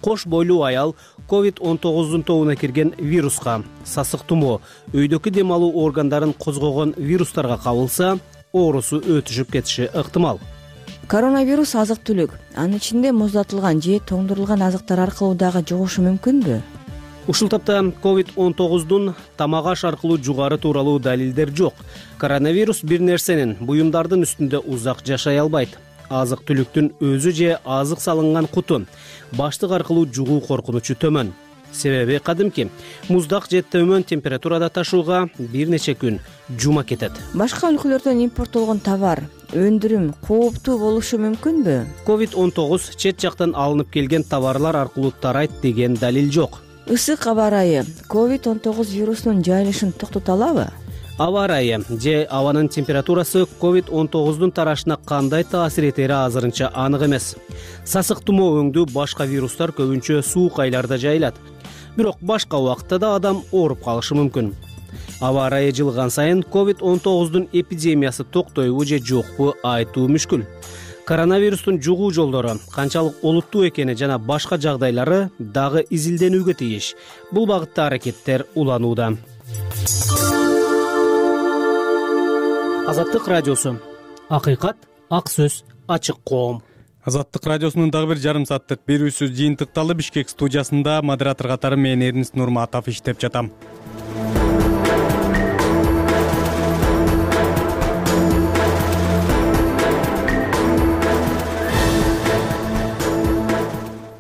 Speaker 15: Кош бойлуу аял COVID-19 тобуна кирген вируска, сасык тумоо, өйдөкү дем алуу органдарын козгогон вирустарга кабылса, оорусу өтүшүп кетиши ыктымал.
Speaker 16: Коронавирус азык-түлүк, анын ичинде муздатылган же тоңдурулган азыктар аркылуу дагы жугушу мүмкүнбү?
Speaker 15: Ушул тапта COVID-19 тамак аш аркылуу жугары тууралуу далилдер жок. Коронавирус бир нерсенин, буюмдардын үстүндө узак жашай албайт. Азык-түлүктүн өзү же азык салынган куту, баштык аркылуу жугуу коркунучу төмөн. Себеби кадимки муздак же төмөн температурада ташууга бир нече күн жума кетет.
Speaker 16: Башка өлкөлөрдөн импорттолгон товар, өндүрүм кооптуу болушу мүмкүнбү?
Speaker 15: COVID-19 чет жактан алынып келген товарлар аркылуу тарайт деген далил жок.
Speaker 16: Ысык аба ырайы COVID-19 вирусунун жайылышын токтото алабы?
Speaker 15: Аба ырайы же абанын температурасы COVID-19 тарашына кандай таасир этери азырынча анык эмес. Сасык тумоо өңдүү башка вирустар көбүнчө суук айларда жайылат. Бирок башка убакытта да адам ооруп калышы мүмкүн. Аба ырайы жылган сайын COVID-19 эпидемиясы токтойбу же жокпу айтуу мүшкүл. Коронавирустун жугуу жолдору канчалык олуттуу экени жана башка жагдайлары дагы изилденүүгө тийиш. Бул багытта аракеттер уланууда. Азаттык радиосу. Акыйкат, ак сөз, ачык коом.
Speaker 1: Азаттык радиосунун дагы бир жарым сааттык берүүсү жыйынтыкталды. Бишкек студиясында модератор катары мен Эрнис Нурматов иштеп жатам.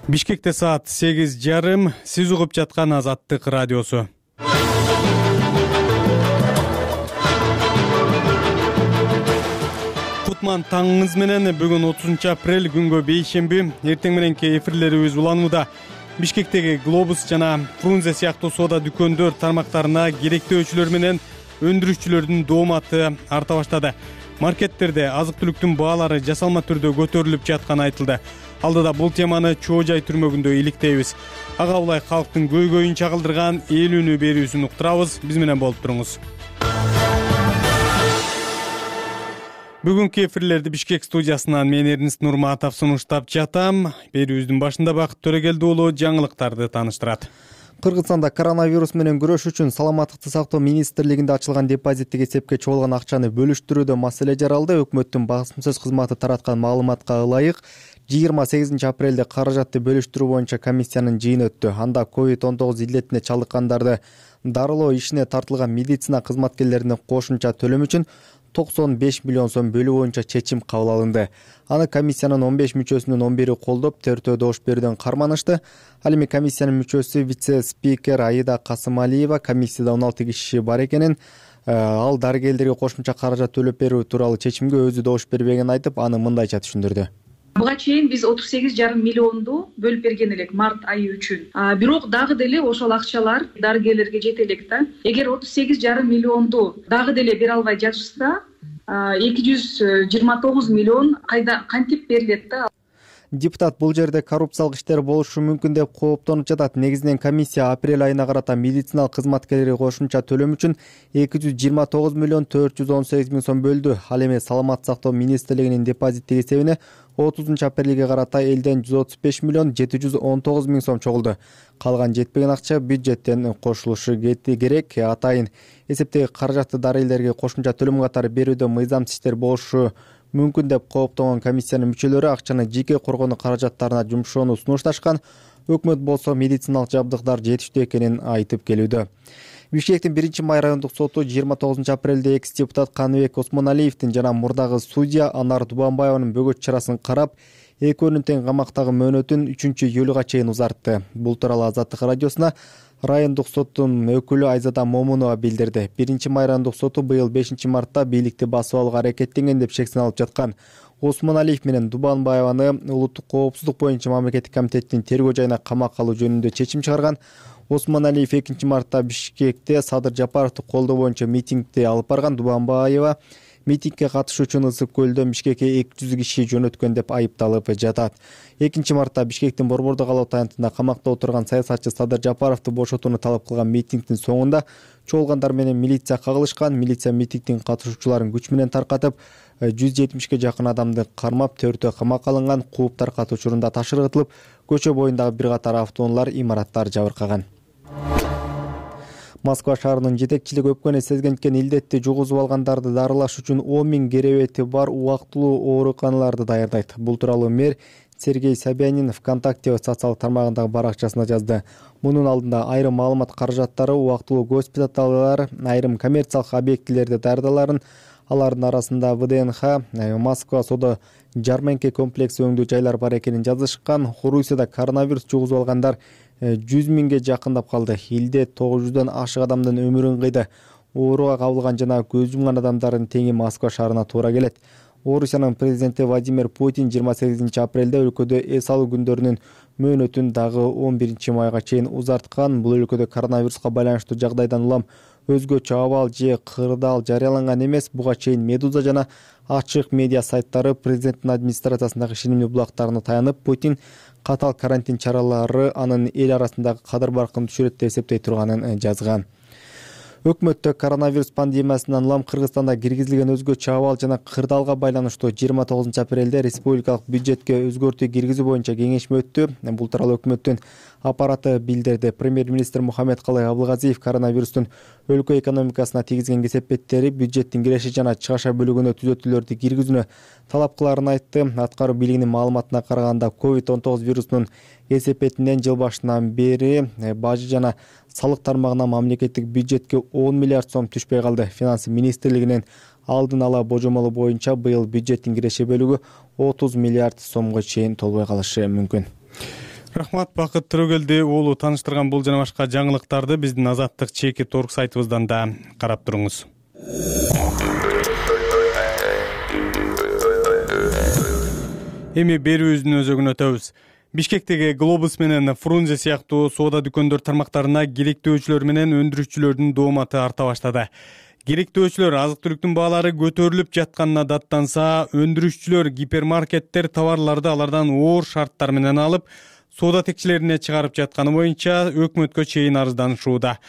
Speaker 1: Бишкекте саат 8:30. Сиз угуп жаткан Азаттык радиосу. Кутман таңыңыз менен. Бүгүн 30 апрель күнгө бейшемби. Эртең мененки эфирлерибиз уланууда. Бишкектеги Глобус жана Фрунзе сыяктуу соода дүкөндөр тармактарына керектөөчүлөр менен өндүрүшчүлөрдүн дооматы арта баштады. Маркеттерде азык-түлүктүн баалары жасалма түрдө көтөрүлүп жатканы айтылды. Алдыда бул теманы Чоо Жай түрмөгүндө иликтейбиз. Ага улай калктын көйгөйүн чагылдырган эл үнү берүүсүн уктурабыз. Биз менен болуп туруңуз. Бүгүнкү эфирлерди Бишкек студиясынан мен Эрнис Нурматов сунуштап жатам. Берүүбүздүн башында Бакыт Төрөгелди уулу жаңылыктарды тааныштырат.
Speaker 2: Кыргызстанда коронавирус менен күрөш үчүн Саламаттыкты сактоо министрлигинде ачылган депозиттик эсепке чогулган акчаны бөлүштүрүүдө маселе жаралды. Өкмөттүн басым сөз кызматы тараткан маалыматка ылайык 28 апрелде каражатты бөлүштүрүү боюнча комиссиянын жыйыны өттү. Анда COVID-19 илдетине чалдыккандарды дарылоо ишине тартылган медицина кызматкерлерине кошумча төлөм үчүн 95 миллион сом бөлүү боюнча чечим кабыл алынды. Аны комиссиянын 15 мүчөсүнүн 11 колдоп, 4 добуш берүүдөн карманышты. Ал эми комиссиянын мүчөсү вице-спикер Аида Касымалиева комиссияда 16 киши бар экенин, ал дарыгерлерге кошумча каражат төлөп берүү тууралуу чечимге өзү добуш бербегенин айтып, аны мындайча түшүндүрдү.
Speaker 17: Буга чейин биз 38,5 миллионду бөлүп берген элек март айы үчүн. Бирок дагы деле ошол акчалар дарыгерлерге жете элек да. Эгер 38,5 миллионду дагы деле бере албай жатышса, 229 миллион кантип берилет да.
Speaker 2: Депутат бул жерде коррупциялык иштер болушу мүмкүн деп кооптонуп жатат. Негизинен комиссия апрель айына карата медициналык кызматкерлерге кошумча төлөм үчүн 229 миллион 418 миң сом бөлдү. Ал эми Саламаттык сактоо министрлигинин депозиттик эсебине 30 апрелге карата элден 135 миллион 719 миң сом чогулду. Калган жетпеген акча бюджеттен кошулушу керек. Атайын эсептеги каражатты дарыгерлерге кошумча төлөм катары берүүдө мыйзамсыз иштер болушу мүмкүн деп кооптонгон комиссиянын мүчөлөрү акчаны жеке коргонуу каражаттарына жумшоону сунушташкан. Өкмөт болсо медициналык жабдыктар жетиштүү экенин айтып келүүдө. Бишкектин 1-май райондук соту 29 апрелде экс-депутат Каныбек Осмоналиевдин жана мурдагы судья Анар Дубанбаеванын бөгөт чарасын карап, экөөнүн тең камактагы мөөнөтүн 3-июлга чейин узартты. Бул тууралуу Азаттык радиосуна райондук соттун өкүлү Айзада Момунова билдирди. 1-май райондук соту быйыл 5-мартта бийликти басып алууга аракеттенген деп шектен алып жаткан Осмоналиев менен Дубанбаеваны улуттук коопсуздук боюнча мамлекеттик комитеттин тергөө жайына камакка алуу жөнүндө чечим чыгарган. Осмоналиев 2-мартта Бишкекте Садыр Жапаровду колдоо боюнча митингди алып барган. Дубанбаева митингге катышуу үчүн Ысык көлдөн Бишкекке 200 киши жөнөткөн деп айыпталып жатат. 2-мартта Бишкектин Борбордук алат аянтында камакта отурган саясатчы Садыр Жапаровду бошотууну талап кылган митингдин соңунда чогулгандар менен милиция кагылышкан. Милиция митингдин катышуучуларын күч менен таркатып, 170ге жакын адамды кармап, 4-өө камакка алынган. Кууп таркатуу учурунда ташыргытылып, көчө боюндагы бир катар автоунаалар, имараттар жабыркаган. Москва шаарынын жетекчилиги өпкөнү сезгенткен илдетти жугузуп алгандарды дарылаш үчүн 10 миң керебети бар убактылуу ооруканаларды даярдайт. Бул тууралуу мэр Сергей Собянин ВКонтакте социалдык тармагындагы баракчасында жазды. Мунун алдында айрым маалымат каражаттары убактылуу госпиталдар, айрым коммерциялык объектилерде даярдаларын, алардын арасында ВДНХ, Москва соода жарманке комплекси өңдүү жайлар бар экенин жазышкан. Орусияда коронавирус жугузуп алгандар 100 миңге жакындап калды. Илде 900дан ашык адамдын өмүрүн кыйды. Ооруга кабылган жана көз жумган адамдардын теңи Москва шаарына туура келет. Орусиянын президенти Владимир Путин 28 апрелде өлкөдө эс алуу күндөрүнүн мөөнөтүн дагы 11 майга чейин узарткан. Бул өлкөдө коронавируска байланыштуу жагдайдан улам өзгөчө абал же кырдаал жарыяланган эмес. Буга чейин Медуза жана ачык медиа сайттары президенттин администрациясындагы ишенимдүү булактарына таянып, Путин катаал карантин чаралары анын эл арасындагы кадыр баркын түшүрөт деп эсептей турганын жазган. Өкмөттө коронавирус пандемиясынан улам Кыргызстанда киргизилген өзгөчө абал жана кырдаалга байланыштуу 29 апрелде республикалык бюджетке өзгөртүү киргизүү боюнча кеңешме өттү. Бул тууралуу өкмөттүн аппараты билдирди. Премьер-министр Мухаммедкалый Абылгазиев коронавирустун өлкө экономикасына тийгизген кесепеттери бюджеттин киреши жана чыгаша бөлүгүнө түзөтүүлөрдү киргизүүнү талап кылаарын айтты. Аткаруу бийлигинин маалыматына караганда COVID-19 вирусунун кесепетинен жыл башынан бери бажы жана салык тармагына мамлекеттик бюджетке 10 миллиард сом түшпөй калды. Финанс министрлигинин алдын ала божомолу боюнча быйыл бюджеттин киреше бөлүгү 30 миллиард сомго чейин толбой калышы мүмкүн.
Speaker 1: Рахмат, Бакыт Төрөгелди уулу тааныштырган бул жана башка жаңылыктарды биздин Азаттык Чеки.org сайтыбыздан да карап туруңуз. Эми берүүбүздүн өзөгүнө өтөбүз. Бишкектеги Глобус менен Фрунзе сыяктуу соода дүкөндөр тармактарына керектөөчүлөр менен өндүрүүчүлөрдүн дооматы арта баштады. Керектөөчүлөр азык-түлүктүн баалары көтөрүлүп жатканына даттанса, өндүрүүчүлөр гипермаркеттер товарларды алардан оор шарттар менен алып, соода текчелерине чыгарып жатканы боюнча өкмөткө чейин арызданышууда.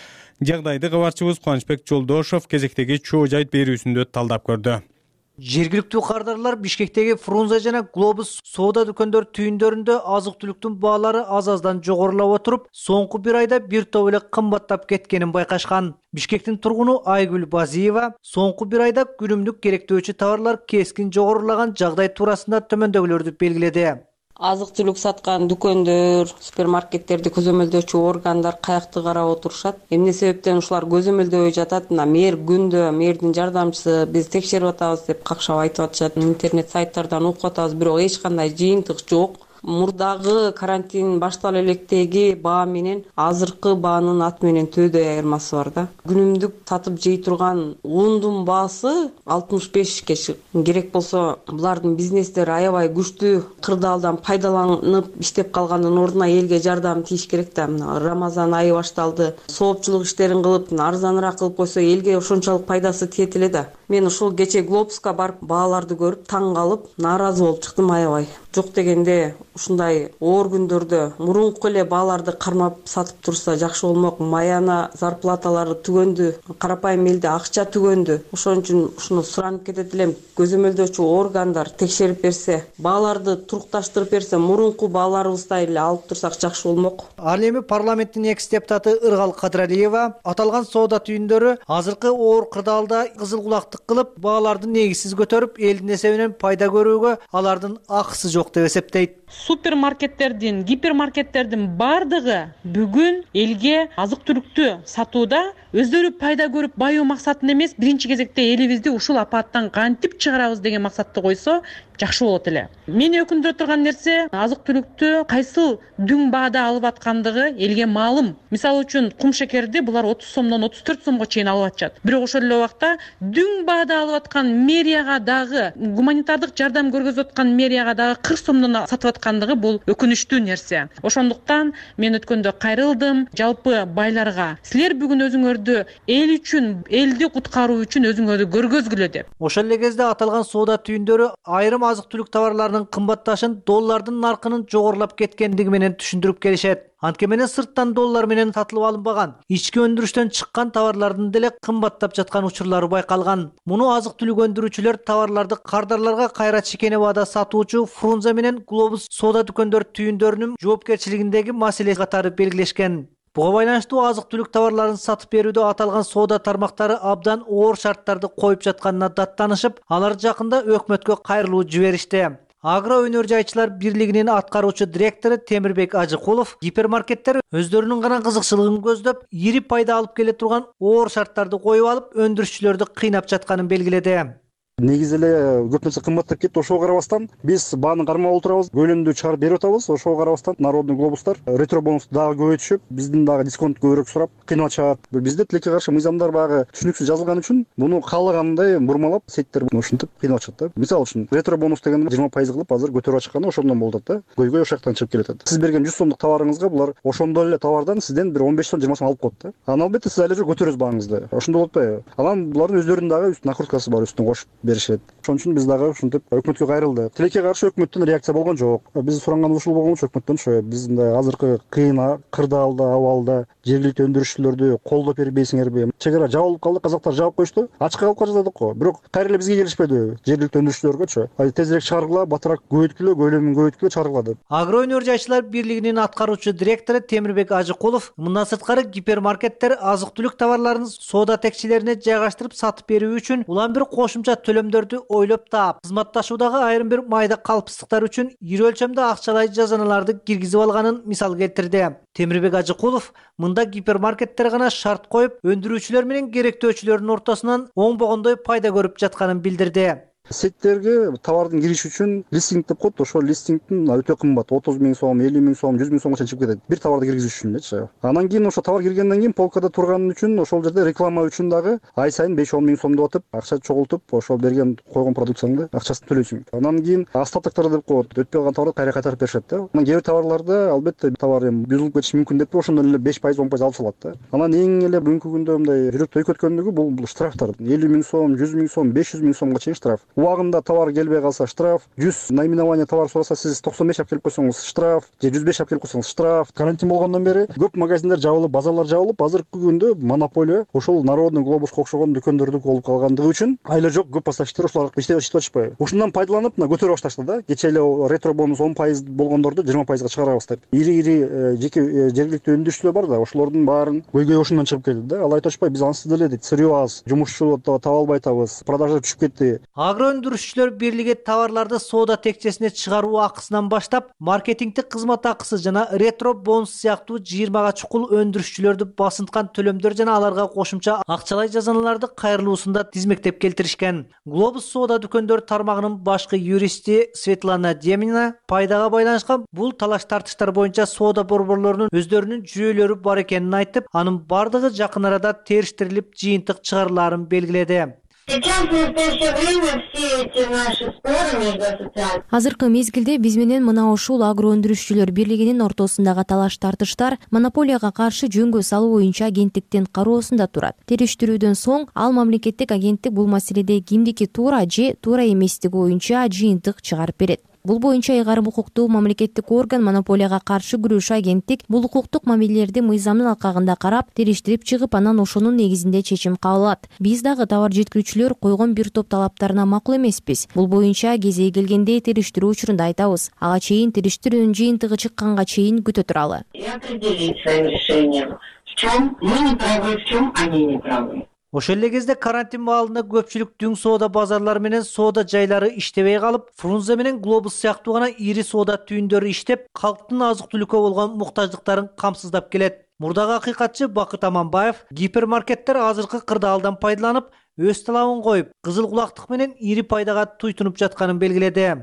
Speaker 1: Жагдайды кабарчыбыз Кубанычбек Жолдошов кезектеги чоо жайт берүүсүндө талдап көрдү.
Speaker 18: Жергиликтүү кардарлар Бишкектеги Фрунзе жана Глобус соода дүкөндөр түйүндөрүндө азык-түлүктүн баалары аз-аздан жогорулап отуруп, соңку бир айда бир топ эле кымбаттап кеткенин байкашкан. Бишкектин тургуну Айгүл Базиева соңку бир айда күнүмдүк керектөөчү товарлар кескин жогорулаган жагдай туурасында төмөндөгүлөрдү белгиледи.
Speaker 19: Азык-түлүк саткан дүкөндөр, супермаркеттерди көзөмөлдөөчү органдар каякты карап отурушат. Эмне себептен ушулар көзөмөлдөбөй жатат? Мэр күндө, мэрдин жардамчысы биз текшерип атабыз деп какшап айтып атышат. Интернет сайттардан окуп атабыз, бирок эч кандай жыйынтык жок. Мурдагы карантин баштала электеги баа менен азыркы баанын аты менен төөдөй айырмасы бар да. Күнүмдүк сатып жей турган ундун баасы 65 керек болсо, булардын бизнестери аябай күчтүү кырдаалдан пайдаланып иштеп калгандын ордуна элге жардам тийиш керек да. Рамазан айы башталды. Соопчулук иштерин кылып, арзаныраак кылып койсо элге ошончолук пайдасы тиет эле да. Мен ушул кече Глобуска барып бааларды көрүп таң калып, нааразы болуп чыктым аябай. Жок дегенде ушундай оор күндөрдө мурунку эле бааларды кармап сатып турса жакшы болмок. Маяна зарплаталары түгөндү, карапайым элде акча түгөндү. Ошон үчүн ушуну суранып кетет элем. Көзөмөлдөөчү органдар текшерип берсе, бааларды турукташтырып берсе, мурунку бааларыбыздай эле алып турсак жакшы болмок.
Speaker 18: Ал эми парламенттин экс-депутаты Ыргал Кадыралиева аталган соода түйүндөрү азыркы оор кырдаалда кызыл кулактык кылып, бааларды негизсиз көтөрүп, элдин эсебинен пайда көрүүгө алардын акысы жок деп эсептейт.
Speaker 20: Супермаркеттердин, гипермаркеттердин бардыгы бүгүн элге азык-түлүктү сатууда өздөрү пайда көрүп байуу максатын эмес, биринчи кезекте элибизди ушул апаттан кантип чыгарабыз деген максатты койсо жакшы болот эле. Мени өкүндүрө турган нерсе, азык-түлүктү кайсыл дүң баада алып аткандыгы элге маалым. Мисалы үчүн кум шекерди булар 30 сомдон 34 сомго чейин алып атышат. Бирок ошол эле убакта дүң баада алып аткан мэрияга дагы, гуманитардык жардам көргөзүп аткан мэрияга дагы 40 сомдон сатып аткандыгы бул өкүнүчтүү нерсе. Ошондуктан мен өткөндө кайрылдым жалпы байларга. Силер бүгүн өзүңөрдү эл үчүн, элди куткаруу үчүн өзүңөрдү көргөзгүлө деп.
Speaker 18: Ошол эле кезде аталган соода түйүндөрү айрым азык-түлүк товарларынын кымбатташын доллардын наркынын жогорулап кеткендиги менен түшүндүрүп келишет. Антке менен сырттан доллар менен сатылып алынбаган, ички өндүрүштөн чыккан товарлардын деле кымбаттап жаткан учурлары байкалган. Муну азык-түлүк өндүрүүчүлөр товарларды кардарларга кайра чекене баада сатуучу Фрунзе менен Глобус соода дүкөндөр түйүндөрүнүн жоопкерчилигиндеги маселе катары белгилешкен. Буга байланыштуу азык-түлүк товарларын сатып берүүдө аталган соода тармактары абдан оор шарттарды коюп жатканына даттанышып, алар жакында өкмөткө кайрылуу жиберишти. Агро өнөр жайчылар бирлигинин аткаруучу директору Темирбек Ажыкулов гипермаркеттер өздөрүнүн гана кызыкчылыгын көздөп, ири пайда алып келе турган оор шарттарды коюп алып, өндүрүшчүлөрдү кыйнап жатканын белгиледи.
Speaker 21: Негизи эле көп нерсе кымбаттап кетти, ошого карабастан биз бааны кармап отурабыз, көлөмдү чыгарып берип атабыз. Ошого карабастан народный глобустар ретро бонусту дагы көбөйтүшүп, биздин дагы дисконт көбүрөөк сурап кыйнап атышат. Бизде тилекке каршы мыйзамдар багы түшүнүксүз жазылган үчүн муну каалагандай бурмалап сеттер ушинтип кыйнап атышат да. Мисалы үчүн ретро бонус деген 20% кылып азыр көтөрүп атышканы ошондон болуп атат да. Көйгөй ошол жактан чыгып келатат. Сиз берген 100 сомдук товарыңызга булар ошондой эле товардан сизден бир 15 сом 20 сом алып коет да. Анан албетте сиз айлы көтөрөсүз бааңызды. Ошондой болуп атпайбы? Анан булардын өздөрүнүн дагы накруткасы бар, үстүнө кошуп беришет. Ошон үчүн биз дагы ушинтип өкмөткө кайрылдык. Тилекке каршы өкмөттөн реакция болгон жок. Биз суранган ушул болгон өкмөттөн ошо биздин азыркы кыйын кырдаалда абалда жергиликтүү өндүрүшчүлөрдү колдоп бербейсиңерби? Чек ара жабылып калды, казактар жаап коюшту. Ачыкка калып жатат го. Бирок кайра эле бизге келишпеди жергиликтүү өндүрүшчүлөргөчү. Тезирээк чыгаргыла, батыраак көбөйткүлө, көлөмүн көбөйткүлө чыгаргыла деп.
Speaker 18: Агро өнөр жайчылар бирлигинин аткаруучу директору Темирбек Ажыкулов мындан сырткары гипермаркеттер азык-түлүк товарларын соода текчелерине жайгаштырып сатып берүү үчүн улам бир кошумча төлөмдөрдү ойлоп таап, кызматташуудагы айрым бир майда калпсыздыктар үчүн ири өлчөмдө акчалай жазаналарды киргизип алганын мисал келтирди. Темирбек Ажыкулов мында гипермаркеттер гана шарт коюп, өндүрүүчүлөр менен керектөөчүлөрдүн ортосунан оңбогондой пайда көрүп жатканын билдирди.
Speaker 21: Сеттерге товардын кириши үчүн листинг деп коет. Ошол листингдин өтө кымбат, 30 000 сом, 50 000 сом, 100 000 сомго чейин чыгып кетет. Бир товарды киргизиш үчүн. Анан кийин ошо товар киргенден кийин полкада турган үчүн ошол жерде реклама үчүн дагы ай сайын 5-10 000 сом деп атып, акча чогултуп, ошол берген койгон продукцияңды акчасын төлөйсүң. Анан кийин остатоктор деп коет. Өтпөй калган товарды кайра кайтарып беришет да. Анан кээ бир товарларда албетте товар бузулуп кетиши мүмкүн деп ошондон эле 5%, 10% алып салат да. Анан эң эле бүгүнкү күндө мындай жүрөк төйкөткөндүгү бул штрафтар. 50 000 сом, 100 000 сом, 500 000 сомго чейин штраф. Убагында товар келбей калса штраф, 100 наименование товар сураса сиз 95 алып келип койсоңуз штраф, же 105 алып келип койсоңуз штраф. Карантин болгондон бери көп магазиндер жабылып, базарлар жабылып, азыркы күндө монополия ошол Народный глобуско окшогон дүкөндөрдү болуп калгандыгы үчүн айла жок көп поставщиктер ошолар иштеп атышпайбы. Ушундан пайдаланып көтөрүп башташты да. Кечээ эле ретро бонус 10% болгондорду 20%га чыгарабыз деп. Ири жеке жергиликтүү өндүрүшчүлөр бар да, ошолордун баарын көйгөй ошондон чыгып келди да. Ал айтып атышпай, биз ансыз деле дейт, сырьё аз, жумушчу таба албай атабыз, продажа түшүп кетти.
Speaker 18: Агро өндүрүшчүлөр бирлиги товарларды соода текчесине чыгаруу акысынан баштап, маркетингдик кызмат акысы жана ретро бонус сыяктуу 20га чукул өндүрүшчүлөрдү басынткан төлөмдөр жана аларга кошумча акчалай жазаналарды кайрылуусунда тизмектеп келтиришкен. Глобус соода дүкөндөр тармагынын башкы юристи Светлана Демина пайдага байланышкан бул талаш тартыштар боюнча соода борборлорунун өздөрүнүн жүйөлөрү бар экенин айтып, анын бардыгы жакын арада териштирилип жыйынтык чыгарылаарын белгиледи.
Speaker 3: Азыркы мезгилде биз менен мына ушул агро өндүрүшчүлөр бирлигинин ортосундагы талаш тартыштар монополияга каршы жөнгө салуу боюнча агенттиктин кароосунда турат. Териштирүүдөн соң ал мамлекеттик агенттик бул маселеде кимдики туура же туура эместиги боюнча жыйынтык чыгарып берет. Бул боюнча ыйгарым укуктуу мамлекеттик орган монополияга каршы күрөшүү агенттик бул укуктук мамилелерди мыйзамдын алкагында карап, териштирип чыгып, анан ошонун негизинде чечим кабыл алат. Биз дагы товар жеткирүүчүлөр койгон бир топ талаптарына макул эмеспиз. Бул боюнча кезеги келгенде териштирүү учурунда айтабыз. Ага чейин териштирүүнүн жыйынтыгы чыкканга чейин күтө туралы.
Speaker 18: Ошол эле кезде карантин маалында көпчүлүк дүң соода базарлары менен соода жайлары иштебей калып, Фрунзе менен Глобус сыяктуу гана ири соода түйүндөрү иштеп, калктын азык-түлүккө болгон муктаждыктарын камсыздап келет. Мурдагы акыйкатчы Бакыт Аманбаев гипермаркеттер азыркы кырдаалдан пайдаланып, өз талабын коюп, кызыл кулактык менен ири пайдага туйтунуп жатканын белгиледи.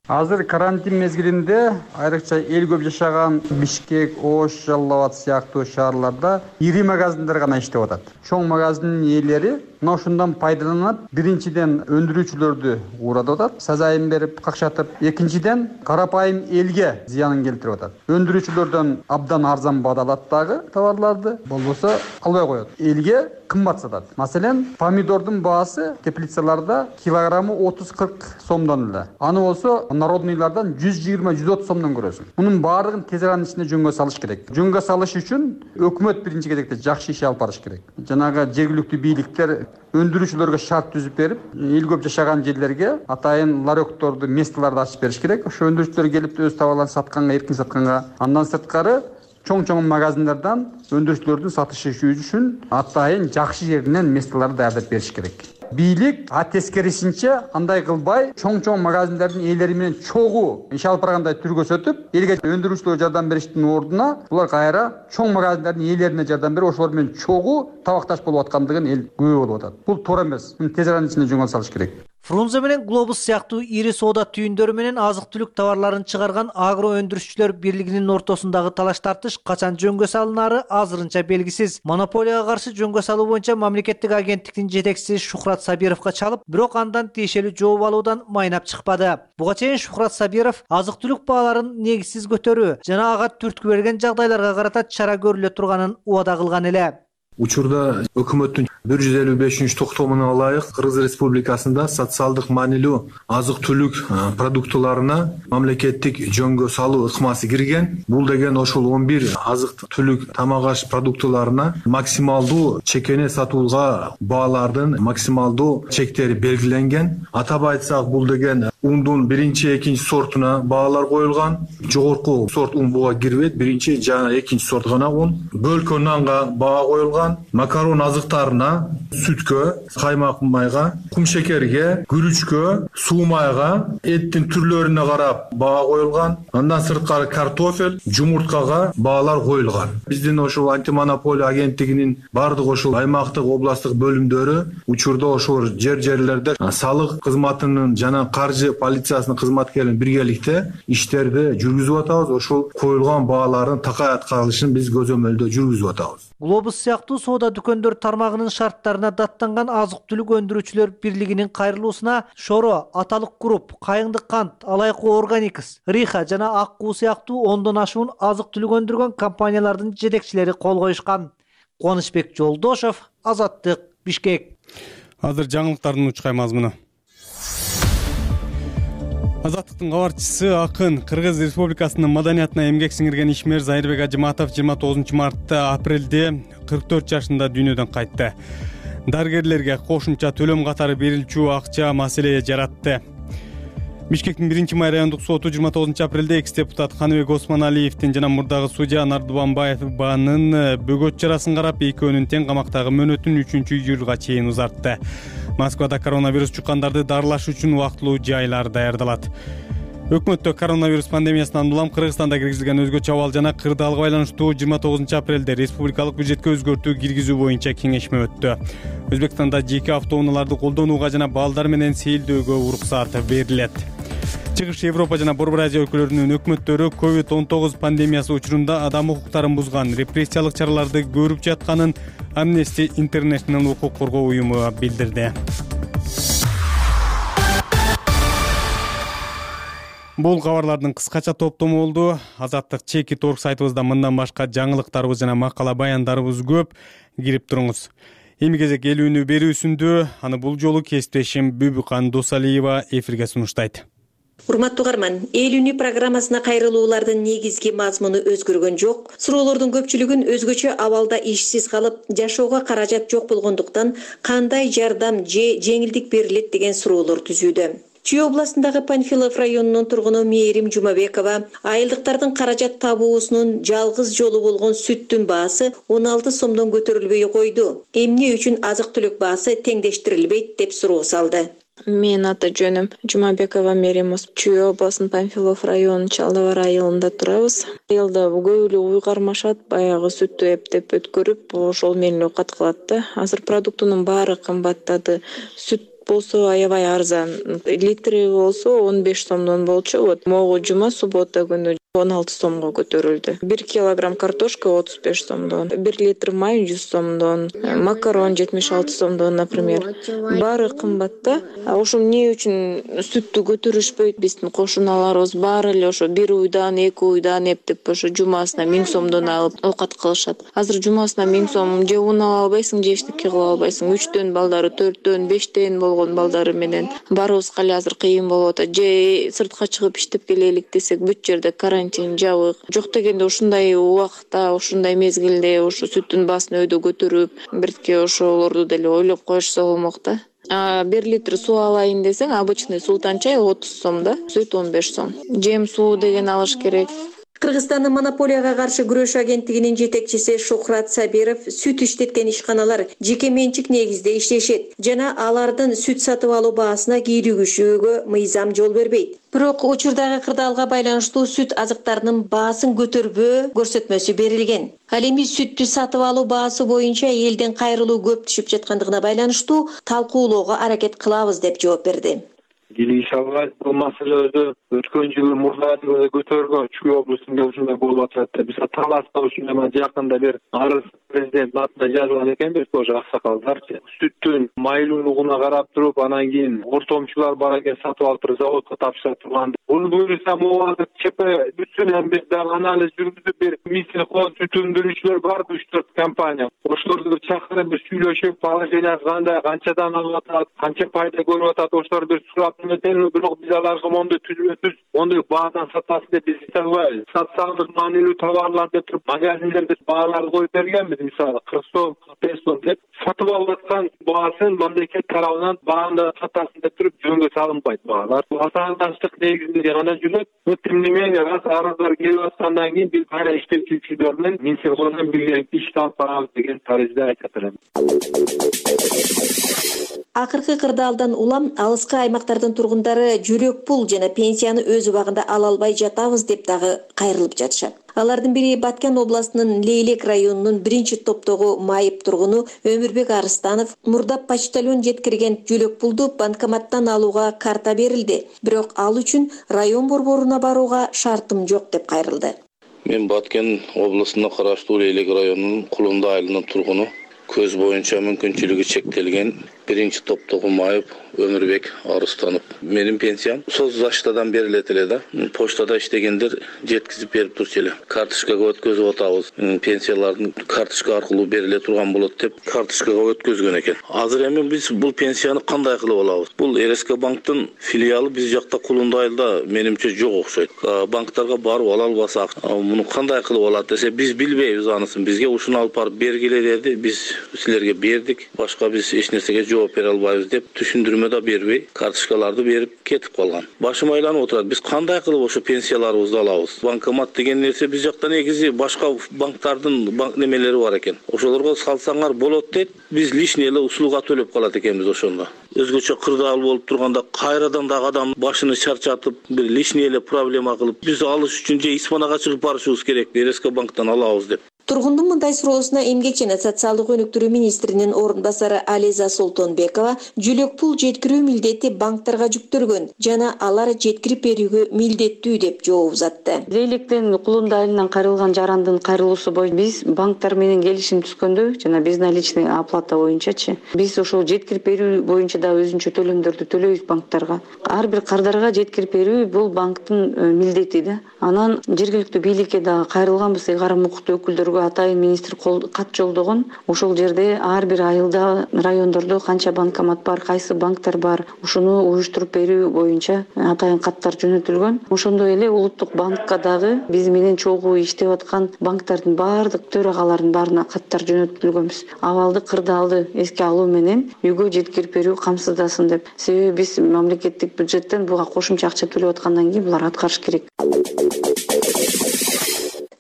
Speaker 22: Азыр карантин мезгилинде айрыкча эл көп жашаган Бишкек, Ош, Жалал Абад сыяктуу шаарларда ири магазиндер гана иштеп атат. Чоң магазиндин ээлери мына ушундан пайдаланып, биринчиден өндүрүүчүлөрдү уурдап атат, сазайын берип, какшатып, экинчиден карапайым элге зыянын келтирип атат. Өндүрүүчүлөрдөн абдан арзан баада алат дагы товарларды, болбосо албай коет. Элге кымбат сатат. Маселен, помидордун баасы теплицаларда килограммы 30-40 сомдон эле. Аны болсо народныйлардан 120-130 сомдон көрөсүң. Мунун баардыгын тез аранын ичинде жөнгө салыш керек. Жөнгө салыш үчүн өкмөт биринчи кезекте жакшы иш алып барыш керек. Жанагы жергиликтүү бийликтер өндүрүүчүлөргө шарт түзүп берип, эл көп жашаган жерлерге атайын ларёкторду, месталарды ачып бериш керек. Ошо өндүрүүчүлөр келип өз товарларын сатканга, эркин сатканга, андан сырткары чоң магазиндерден өндүрүүчүлөрдүн сатышы үчүн атайын жакшы жеринен месталарды даярдап бериш керек. Бийлик тескерисинче андай кылбай, чоң магазиндердин ээлери менен чогуу иш алып баргандай түр көрсөтүп, элге өндүрүүчүлөргө жардам бериштин ордуна булар кайра чоң магазиндердин ээлерине жардам берип, ошолор менен чогуу табакташ болуп аткандыгын эл күбө болуп атат. Бул туура эмес. Муну тез аранын ичинде жөнгө салыш керек.
Speaker 18: Фрунзе менен Глобус сыяктуу ири соода түйүндөрү менен азык-түлүк товарларын чыгарган агро өндүрүшчүлөр бирлигинин ортосундагы талаш тартыш качан жөнгө салынары азырынча белгисиз. Монополияга каршы жөнгө салуу боюнча мамлекеттик агенттиктин жетекчиси Шухрат Сабировго чалып, бирок андан тиешелүү жооп алуудан майнап чыкпады. Буга чейин Шухрат Сабиров азык-түлүк бааларын негизсиз көтөрүү жана ага түрткү берген жагдайларга карата чара көрүлө турганын убада кылган эле.
Speaker 5: Учурда өкмөттүн 155 токтомуна ылайык Кыргыз Республикасында социалдык маанилүү азык-түлүк продуктыларына мамлекеттик жөнгө салуу ыкмасы кирген. Бул деген ошол 11 азык-түлүк тамак-аш продуктыларына максималдуу чекене сатууга баалардын максималдуу чектери белгиленген. Атап айтсак, бул деген ундун 1-2 сортуна баалар коюлган. Жогорку сорт ун буга кирбейт, 1 жана 2 сорт гана ун. Бөлкө нанга баа коюлган. Макарон азыктарына, сүткө, каймак майга, кумшекерге, күрүчкө, суу майга, эттин түрлөрүнө карап баа коюлган. Андан сырткары картофель, жумурткага баалар коюлган. Биздин ошол антимонополия агенттигинин бардык ошол аймактык, областтык бөлүмдөрү учурда ошол жерлерде салык кызматынын жана каржы полициясынын кызматкерлери биргеликте иштерди жүргүзүп атабыз. Ошол коюлган баалардын такай аткарылышын биз көзөмөлдө жүргүзүп атабыз.
Speaker 18: Глобус сыяктуу соода дүкөндөр тармагынын шарттарына даттанган азык-түлүк өндүрүүчүлөр бирлигинин кайрылуусуна Шоро, Аталык Групп, Кайыңдык кант, Алайкуу Органикс, Риха жана Аккуу сыяктуу 10дон ашуун азык-түлүк өндүргөн компаниялардын жетекчилери кол коюшкан. Кубанычбек Жолдошов, Азаттык, Бишкек.
Speaker 1: Азыр жаңылыктардын учкай мазмуну. Азаттыктын кабарчысы акын Кыргыз Республикасынын маданиятына эмгек сиңирген ишмер Зайырбек Ажыматов 29 мартта апрелде 44 жашында дүйнөдөн кайтты. Дарыгерлерге кошумча төлөм катары берилчү акча маселе жаратты. Бишкектин 1-май райондук соту 29 апрелде экс-депутат Каныбек Осмоналиевдин жана мурдагы судья Нардубанбаеванын бөгөт чарасын карап, экөөнүн тең камактагы мөөнөтүн 3-июлга чейин узартты. Москвада коронавирус чуккандарды дарылаш үчүн убактылуу жайлар даярдалат. Өкмөттө коронавирус пандемиясынан улам Кыргызстанда киргизилген өзгөчө абал жана кырдаалга байланыштуу 29 апрелде республикалык бюджетке өзгөртүү киргизүү боюнча кеңешме өттү. Өзбекстанда жеке автоунааларды колдонууга жана балдар менен сейилдөөгө уруксат берилет. Чыгыш Европа жана Борбор Азия өлкөлөрүнүн өкмөттөрү COVID-19 пандемиясы учурунда адам укуктарын бузган репрессиялык чараларды көрүп жатканын Amnesty International укук коргоо уюму билдирди. Бул кабарлардын кыскача топтому болду. Азаттык Чеки.org сайтыбызда мындан башка жаңылыктарыбыз жана макала баяндарыбыз көп. Кирип туруңуз. Эми кезек элүүнү берүүсүндө аны бул жолу кесиптешим Бүбүкан Досалиева эфирге сунуштайт.
Speaker 6: Урматтуу угарман, элүүнү программасына кайрылуулардын негизги мазмуну өзгөргөн жок. Суроолордун көпчүлүгүн өзгөчө абалда ишсиз калып, жашоого каражат жок болгондуктан кандай жардам же жеңилдик берилет деген суроолор түзүүдө. Чүй областындагы Панфилов районунун тургуну Мээрим Жумабекова айылдыктардын каражат табуусунун жалгыз жолу болгон сүттүн баасы 16 сомдон көтөрүлбөй койду. Эмне үчүн азык-түлүк баасы теңдештирилбейт деп суроо салды.
Speaker 23: Мен аты жөнүм Жумабекова Мээрим. Чүй областынын Панфилов районунун Чалдыбар айылында турабыз. Айылда көп эле уй кармашат, баягы сүттү эптеп өткөрүп, ошол менен оокат кылат да. Азыр продуктунун баары кымбаттады. Сүт болсо аябай арзан. Литри болсо 15 сомдон болчу. Вот могу жума суббота күнү 16 сомго көтөрүлдү. 1 килограмм картошка 35 сомдон, 1 литр май 100 сомдон, макарон 76 сомдон, например. Баары кымбатта. Ошо эмне үчүн сүттү көтөрүшпөйт? Биздин кошуналарыбыз баары эле ошо 1 уйдан, 2 уйдан эптеп ошо жумасына 1000 сомдон алып оокат кылышат. Азыр жумасына 1000 сом же ун ала албайсың, же эчтеке кыла албайсың. 3төн балдары, 4төн, 5тен болгон балдары менен барыбызга эле азыр кыйын болуп атат. Же сыртка чыгып иштеп келелик десек, бүт жерде карантин жабык. Жок дегенде ушундай убакта, ушундай мезгилде ошо сүттүн баасын өйдө көтөрүп, бирке ошолорду деле ойлоп коюшса болмок да. 1 литр суу алайын десең, обычный султан чай 30 сом да, сүт 15 сом. Жем суу деген алыш керек.
Speaker 6: Кыргызстандын монополияга каршы күрөш агенттигинин жетекчиси Шухрат Сабиров сүт иштеткен ишканалар жеке менчик негизде иштешет жана алардын сүт сатып алуу баасына кийлигишүүгө мыйзам жол бербейт. Бирок учурдагы кырдаалга байланыштуу сүт азыктарынын баасын көтөрбөө көрсөтмөсү берилген. Ал эми сүттү сатып алуу баасы боюнча элден кайрылуу көп түшүп жаткандыгына байланыштуу талкуулоого аракет кылабыз деп жооп берди.
Speaker 4: келише албайбыз. Бул маселеде өткөн жылы мурдагы көтөргөн Чүй облусунда ушундай болуп атат. Биз Таласта ушундай жакында бир арыз президент атына жазган экенбиз, ошо аксакалдарчы. Сүттүн майлуулугуна карап туруп, анан кийин ортомчулар бар экен, сатып алып туруп заводко тапшыра турган. Буну буюрса могу ЧП бүтүнөн бир дагы анализ жүргүзүп, бир Минсельхоз сүт өндүрүүчүлөр бар, 3-4 компания. Ошолорду чакырып бир сүйлөшүп, положение кандай, канчадан алып атат, канча пайда көрүп атат, ошолор бир сурап эметелби, бирок биз аларга мондой түзмөсүз, мондой баадан сатасыз деп биз айта албайбыз. Социалдык маанилүү товарлар деп туруп магазиндерде бааларды коюп бергенбиз, мисалы 40 сом, 45 сом деп сатып алып аткан баасын мамлекет тарабынан баанда сатасыз деп туруп жөнгө салынбайт баалар. Ватандаштык негизинде гана жүрөт. Тем не менее, раз арыздар келип аткандан кийин биз кайра иштетүүчүлөр менен Минсельхоздон биргеликте иш алып барабыз деген таризде айта берем.
Speaker 6: Акыркы кырдаалдан улам алыскы аймактардын тургундары жөлөк пул жана пенсияны өз убагында ала албай жатабыз деп дагы кайрылып жатышат. Алардын бири Баткен областынын Лейлек районунун 1-топтогу майып тургуну Өмүрбек Арыстанов. Мурда почтальон жеткирген жөлөк пулду банкоматтан алууга карта берилди, бирок ал үчүн район борборуна барууга шартым жок деп кайрылды.
Speaker 7: Мен Баткен областына караштуу Лейлек районунун Кулунду айылынын тургуну. Көз боюнча мүмкүнчүлүгү чектелген 1-топтогу майып Өмүрбек Арыстанов. Менин пенсиям соцзащитадан берилет эле да. Почтада иштегендер жеткизип берип турчу эле. Карточкага өткөзүп атабыз. Пенсиялардын карточка аркылуу бериле турган болот деп карточкага өткөзгөн экен. Азыр эми биз бул пенсияны кандай кылып алабыз? Бул РСК банктын филиалы биз жакта Кулунду айылда менимче жок окшойт. Банктарга барып ала албасак, муну кандай кылып алат десе, биз билбейбиз анысын. Бизге ушуну алып барып бергиле деди. Биз силерге бердик. Башка биз эч нерсеге жооп бере албайбыз деп түшүндүрмө да бербей, карточкаларды берип кетип калган. Башым айланып отурат. Биз кандай кылып ошо пенсияларыбызды алабыз? Банкомат деген нерсе биз жакта негизи башка банктардын банк немелери бар экен. Ошолорго салсаңар болот дейт. Биз лишний эле услуга төлөп калат экенбиз ошондо. Өзгөчө кырдаал болуп турганда кайрадан дагы адам башыны чарчатып, бир лишний эле проблема кылып, биз алыш үчүн же испанага чыгып барышыбыз керек, РСК банктан алабыз деп.
Speaker 6: Тургундун мындай суроосуна Эмгек жана социалдык өнүктүрүү министринин орун басары Ализа Солтонбекова жөлөк пул жеткирүү милдети банктарга жүктөлгөн жана алар жеткирип берүүгө милдеттүү деп жооп узатты.
Speaker 19: Лейлектен Кулунду айылынан кайрылган жарандын кайрылуусу боюнча биз банктар менен келишим түзгөндө жана безналичный оплата боюнчачы биз ошол жеткирип берүү боюнча да өзүнчө төлөмдөрдү төлөйбүз банктарга. Ар бир кардарга жеткирип берүү бул банктын милдети да. Анан жергиликтүү бийликке дагы кайрылганбыз, карам укуктуу өкүлдөргө атайын министр кат жолдогон. Ошол жерде ар бир айылда, райондордо канча банкомат бар, кайсы банктар бар, ушуну уюштуруп берүү боюнча атайын каттар жөнөтүлгөн. Ошондой эле улуттук банкка дагы биз менен чогуу иштеп аткан банктардын баардык төрагаларынын баарына каттар жөнөтүлгөнбүз. Абалды кырдаалды эске алуу менен үйгө жеткирип берүү камсыздасын деп. Себеби биз мамлекеттик бюджеттен буга кошумча акча төлөп аткандан кийин булар аткарыш керек.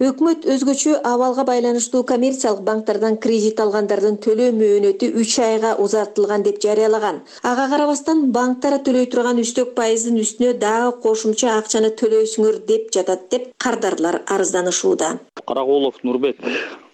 Speaker 6: Өкмөт өзгөчө абалга байланыштуу коммерциялык банктардан кредит алгандардын төлөө мөөнөтү 3 айга узартылган деп жарыялаган. Ага карабастан банктар төлөй турган үстөк пайыздын үстүнө дагы кошумча акчаны төлөйсүңөр деп жатат деп кардарлар арызданышууда.
Speaker 8: Каракулов Нурбек,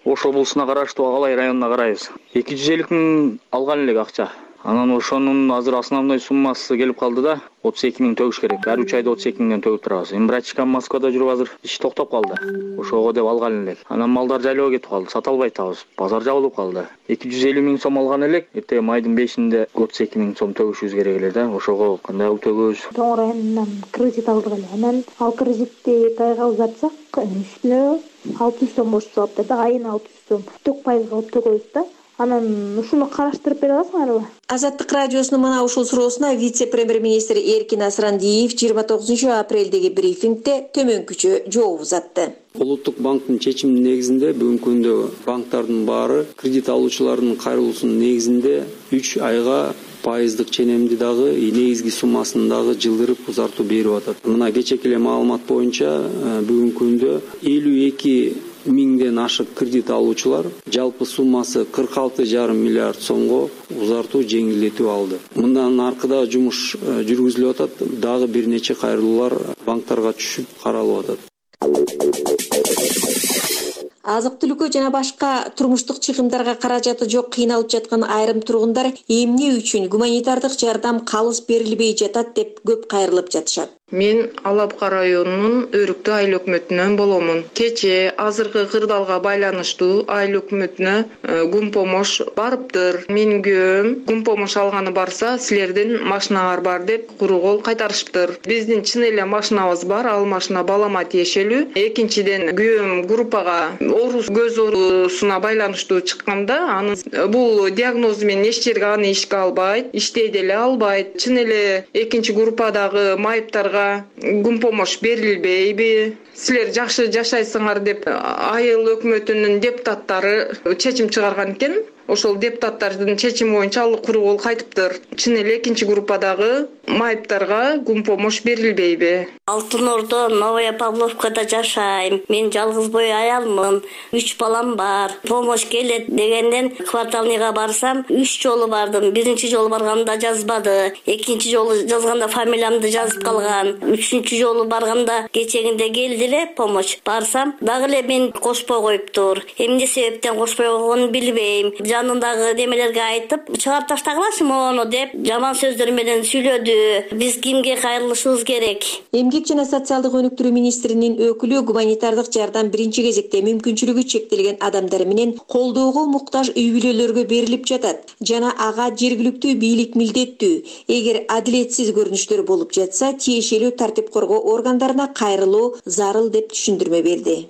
Speaker 8: Ош облусуна караштуу Агалай районуна карайбыз. 250 миң алган элек акча. Анан ошонун азыр основной суммасы келип калды да 32 миң төгүш керек. Ар 3 айда 32 миңден төгүп турабыз. Имбрачка Москвада жүрүп азыр иш токтоп калды. Ошого деп алган элек. Анан малдар жайлоого кетип калды, сата албай атабыз. Базар жабылып калды. 250 миң сом алган элек. Эртең майдын 5-инде 32 миң сом төгүшүбүз керек эле да. Ошого кандай кылып төгөбүз?
Speaker 24: Тоң районунан кредит алдык эле. Анан ал кредитти 2 айга узартсак, үстүнө 600 сом бош салып да, айына 600 сом. Тök пайызга алып төгөбүз да. Анан ушуну караштырып бере аласыңарбы?
Speaker 6: Азаттык радиосунун мына ушул суроосуна вице-премьер-министр Эркин Асрандиев 29 апрелдеги брифингде төмөнкүчө жооп узатты.
Speaker 25: Улуттук банктын чечиминин негизинде бүгүнкү күндө банктардын баары кредит алуучулардын кайрылуусунун негизинде 3 айга пайыздык ченемди дагы негизги суммасын дагы жылдырып узартуу берип атат. Мына кечээки эле маалымат боюнча бүгүнкү күндө 52 миңден ашык кредит алуучулар жалпы суммасы 46,5 миллиард сомго узартуу жеңилдетүү алды. Мындан аркыда жумуш жүргүзүлүп атат. Дагы бир нече кайрылуулар банктарга түшүп каралып атат.
Speaker 6: азык түлүккө жана башка турмуштук чыгымдарга каражаты жок кыйналып жаткан айрым тургундар эмне үчүн гуманитардык жардам калыс берилбей жатат деп көп кайрылып жатышат.
Speaker 9: Мен Алапка районунун Өрүктүү айыл өкмөтүнөн боломун. Кече азыркы кырдаалга байланыштуу айыл өкмөтүнө гум помощь барыптыр. Менин күйөөм гум помощь алганы барса, силердин машинаңар бар деп куру кол кайтарышыптыр. Биздин чын эле машинабыз бар, ал машина балама тиешелүү. Экинчиден күйөөм группага оорус көз оорусуна байланыштуу чыкканда, анын бул диагнозу менен эч жерге аны ишке албайт, иштей деле албайт. Чын эле экинчи группадагы майыптарга гум помощь берилбейби? Силер жакшы жашайсыңар деп айыл өкмөтүнүн депутаттары чечим чыгарган экен. Ошол депутаттардын чечими боюнча ал куру кол кайтыптыр. Чын эле экинчи группадагы майыптарга гум помощь берилбейби?
Speaker 10: Алтын Ордо, Новая Павловкада жашайм. Мен жалгыз бой аялмын. 3 балам бар. Помощь келет дегенден кварталныйга барсам, 3 жолу бардым. Биринчи жолу барганда жазбады. Экинчи жолу жазганда фамилиямды жазып калган. Үчүнчү жолу барганда кечегинде келди эле помощь. Барсам, дагы эле мен кошпой коюптур. Эмне себептен кошпой койгонун билбейм. Жанындагы немелерге айтып, чыгарып таштагылашы мону деп жаман сөздөр менен сүйлөдү. Биз кимге кайрылышыбыз керек?
Speaker 6: Эмгек жана социалдык өнүктүрүү министринин өкүлү гуманитардык жардам биринчи кезекте мүмкүнчүлүгү чектелген адамдар менен колдоого муктаж үй бүлөлөргө берилип жатат жана ага жергиликтүү бийлик милдеттүү. Эгер адилетсиз көрүнүштөр болуп жатса, тиешелүү тартип коргоо органдарына кайрылуу зарыл деп түшүндүрмө берди.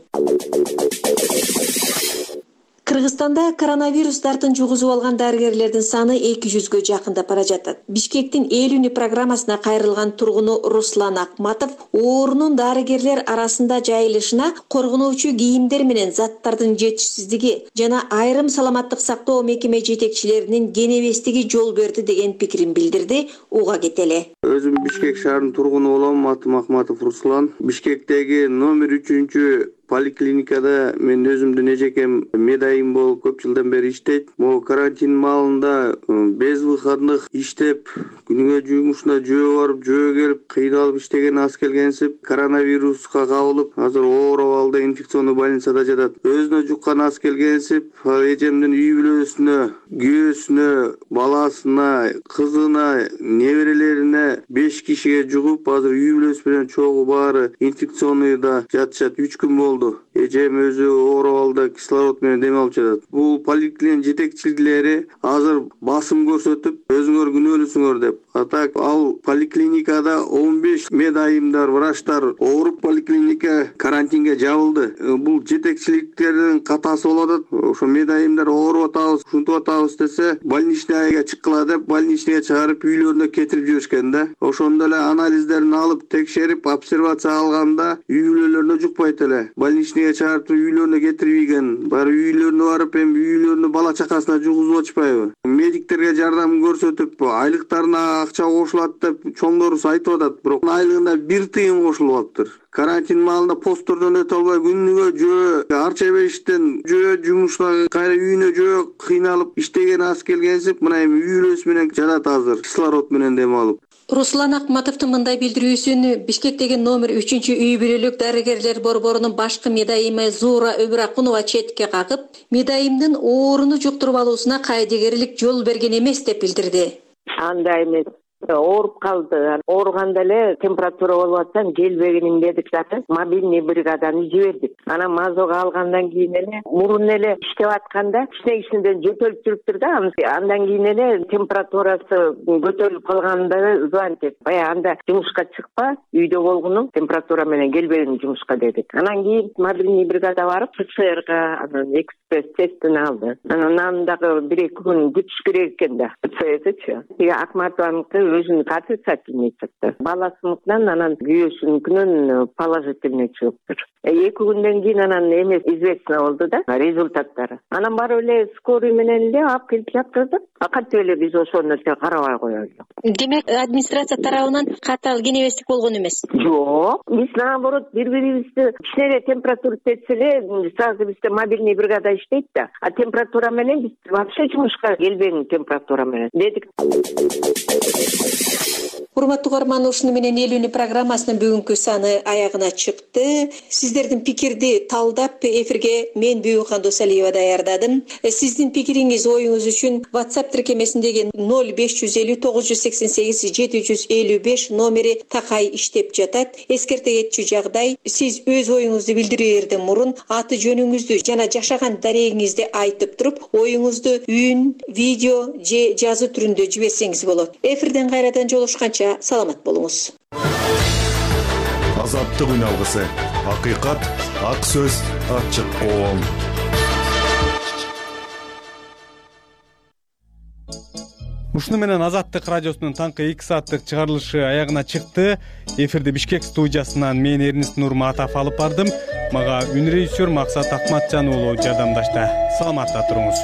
Speaker 6: Кыргызстанда коронавирус дартын жугузуп алган дарыгерлердин саны 200гө жакындап бара жатат. Бишкектин эл үни программасына кайрылган тургуну Руслан Акматов оорунун дарыгерлер арасында жайылышына коргонуучу кийимдер менен заттардын жетишсиздиги жана айрым саламаттык сактоо мекеме жетекчилеринин кенебестиги жол берди деген пикирин билдирди. Уга кетели.
Speaker 11: Өзүм Бишкек шаарынын тургуну болом. Атым Акматов Руслан. Бишкектеги номер 3 поликлиникада мен өзүмдүн эжекем медайым болуп көп жылдан бери иштейт. Могу карантин маалында безвыходных иштеп, күнүгө жумушуна жөө барып, жөө келип, кыйналып иштеген аз келгенсип, коронавируска кабылып, азыр оор абалда инфекционный больницада жатат. Өзүнө жуккан аз келгенсип, эжемдин үй бүлөсүнө, күйөөсүнө, баласына, кызына, неберелерине 5 кишиге жугуп, азыр үй бүлөсү менен чогуу баары инфекционныйда жатышат. 3 күн болду. Эжем өзү оор абалда кислород менен дем алып жатат. Бул поликлиник жетекчилери азыр басым көрсөтүп, өзүңөр күнөөлүүсүңөр деп. Атак ал поликлиникада 15 медайымдар, врачтар ооруп поликлиника карантинге жабылды. Бул жетекчиликтердин катасы болуп атат. Ошо медайымдар ооруп атабыз, ушинтип атабыз десе, больничныйга чыккыла деп, больничныйга чыгарып үйлөрүнө кетирип жиберишкен да. Ошондо эле анализдерин алып, текшерип, обсервация алганда үй бүлөлөрүнө жукпайт эле. Больничныйга чыгарып үйлөрүнө кетирбеген. Баары үйлөрүнө барып, эми үйлөрүнө бала чакасына жугузуп атышпайбы? Медиктерге жардам көрсөтүп, айлыктарына акча кошулат деп чоңдорубуз айтып атат. Бирок айлыгына 1 тыйын кошулуптур. Карантин маалында посттордон өтө албай күнүгө жөө, арча бештен жөө, жумушуна кайра үйүнө жөө кыйналып иштеген аз келгенсип, мына эми үй бүлөсү менен жатат азыр кислород менен дем алып.
Speaker 6: Руслан Акматовдун мындай билдирүүсүн Бишкектеги номер 3 үй бүлөлүк дарыгерлер борборунун башкы медайымы Зуура Өмүракунова четке кагып, медайымдын ооруну жуктуруп алуусуна кайдыгерлик жол берген эмес деп билдирди.
Speaker 13: Андай эмес. Ооруп калды. Ооруганда эле температура болуп атса, келбегенин дедик дагы мобильный бригаданы жибердик. Анан мазога алгандан кийин эле мурун эле иштеп атканда кичинеден жөтөлүп жүрүптүр да. Андан кийин эле температурасы көтөрүлүп калганда звонить этип, баягы анда жумушка чыкпа, үйдө болгуну температура менен келбегин жумушка дедик. Анан кийин мобильный бригада барып ПЦРга, анан экспресс тестин алды. Анан дагы 1-2 күн күтүш керек экен да. ПЦРчы. Акматованыкы өзүнүн отрицательный чыкты. Баласыныкынан анан күйөөсүнүкүнөн положительный чыгыптыр. 2 күндөн кийин анан эмес известно болду да результаттары. Анан барып эле скорый менен эле алып келип жаткыздык. Кантип эле биз ошону карабай коелу.
Speaker 6: Демек, администрация тарабынан катал кенебестик болгон эмес.
Speaker 13: Жок, биз наоборот бири-бирибизди кичине температура тетсе эле сразу бизде мобильный бригада иштейт да. А температура менен биз вообще жумушка келбеген температура менен дедик.
Speaker 6: урматтуу угарман, ушуну менен эл үнү программасынын бүгүнкү саны аягына чыкты. Сиздердин пикирди талдап эфирге мен Бүйүкхан Досалиева даярдадым. Сиздин пикириңиз, оюңуз үчүн WhatsApp тиркемесиндеги 0550 988 755 номери такай иштеп жатат. Эскерте кетчү жагдай, сиз өз оюңузду билдирээрден мурун аты жөнүңүздү жана жашаган дарегиңизди айтып туруп, оюңузду үн, видео же жазуу түрүндө жиберсеңиз болот. Эфирден кайрадан жолушканча саламат болуңуз.
Speaker 12: Азаттык үн алгысы. Акыйкат, ак сөз, ачык коом.
Speaker 1: Ушуну менен Азаттык радиосунун таңкы 2 сааттык чыгарылышы аягына чыкты. Эфирди Бишкек студиясынан мен Эрнест Нурматов алып бардым. Мага үн режиссер Максат Акматжан уулу жардамдашты. Саламатта туруңуз.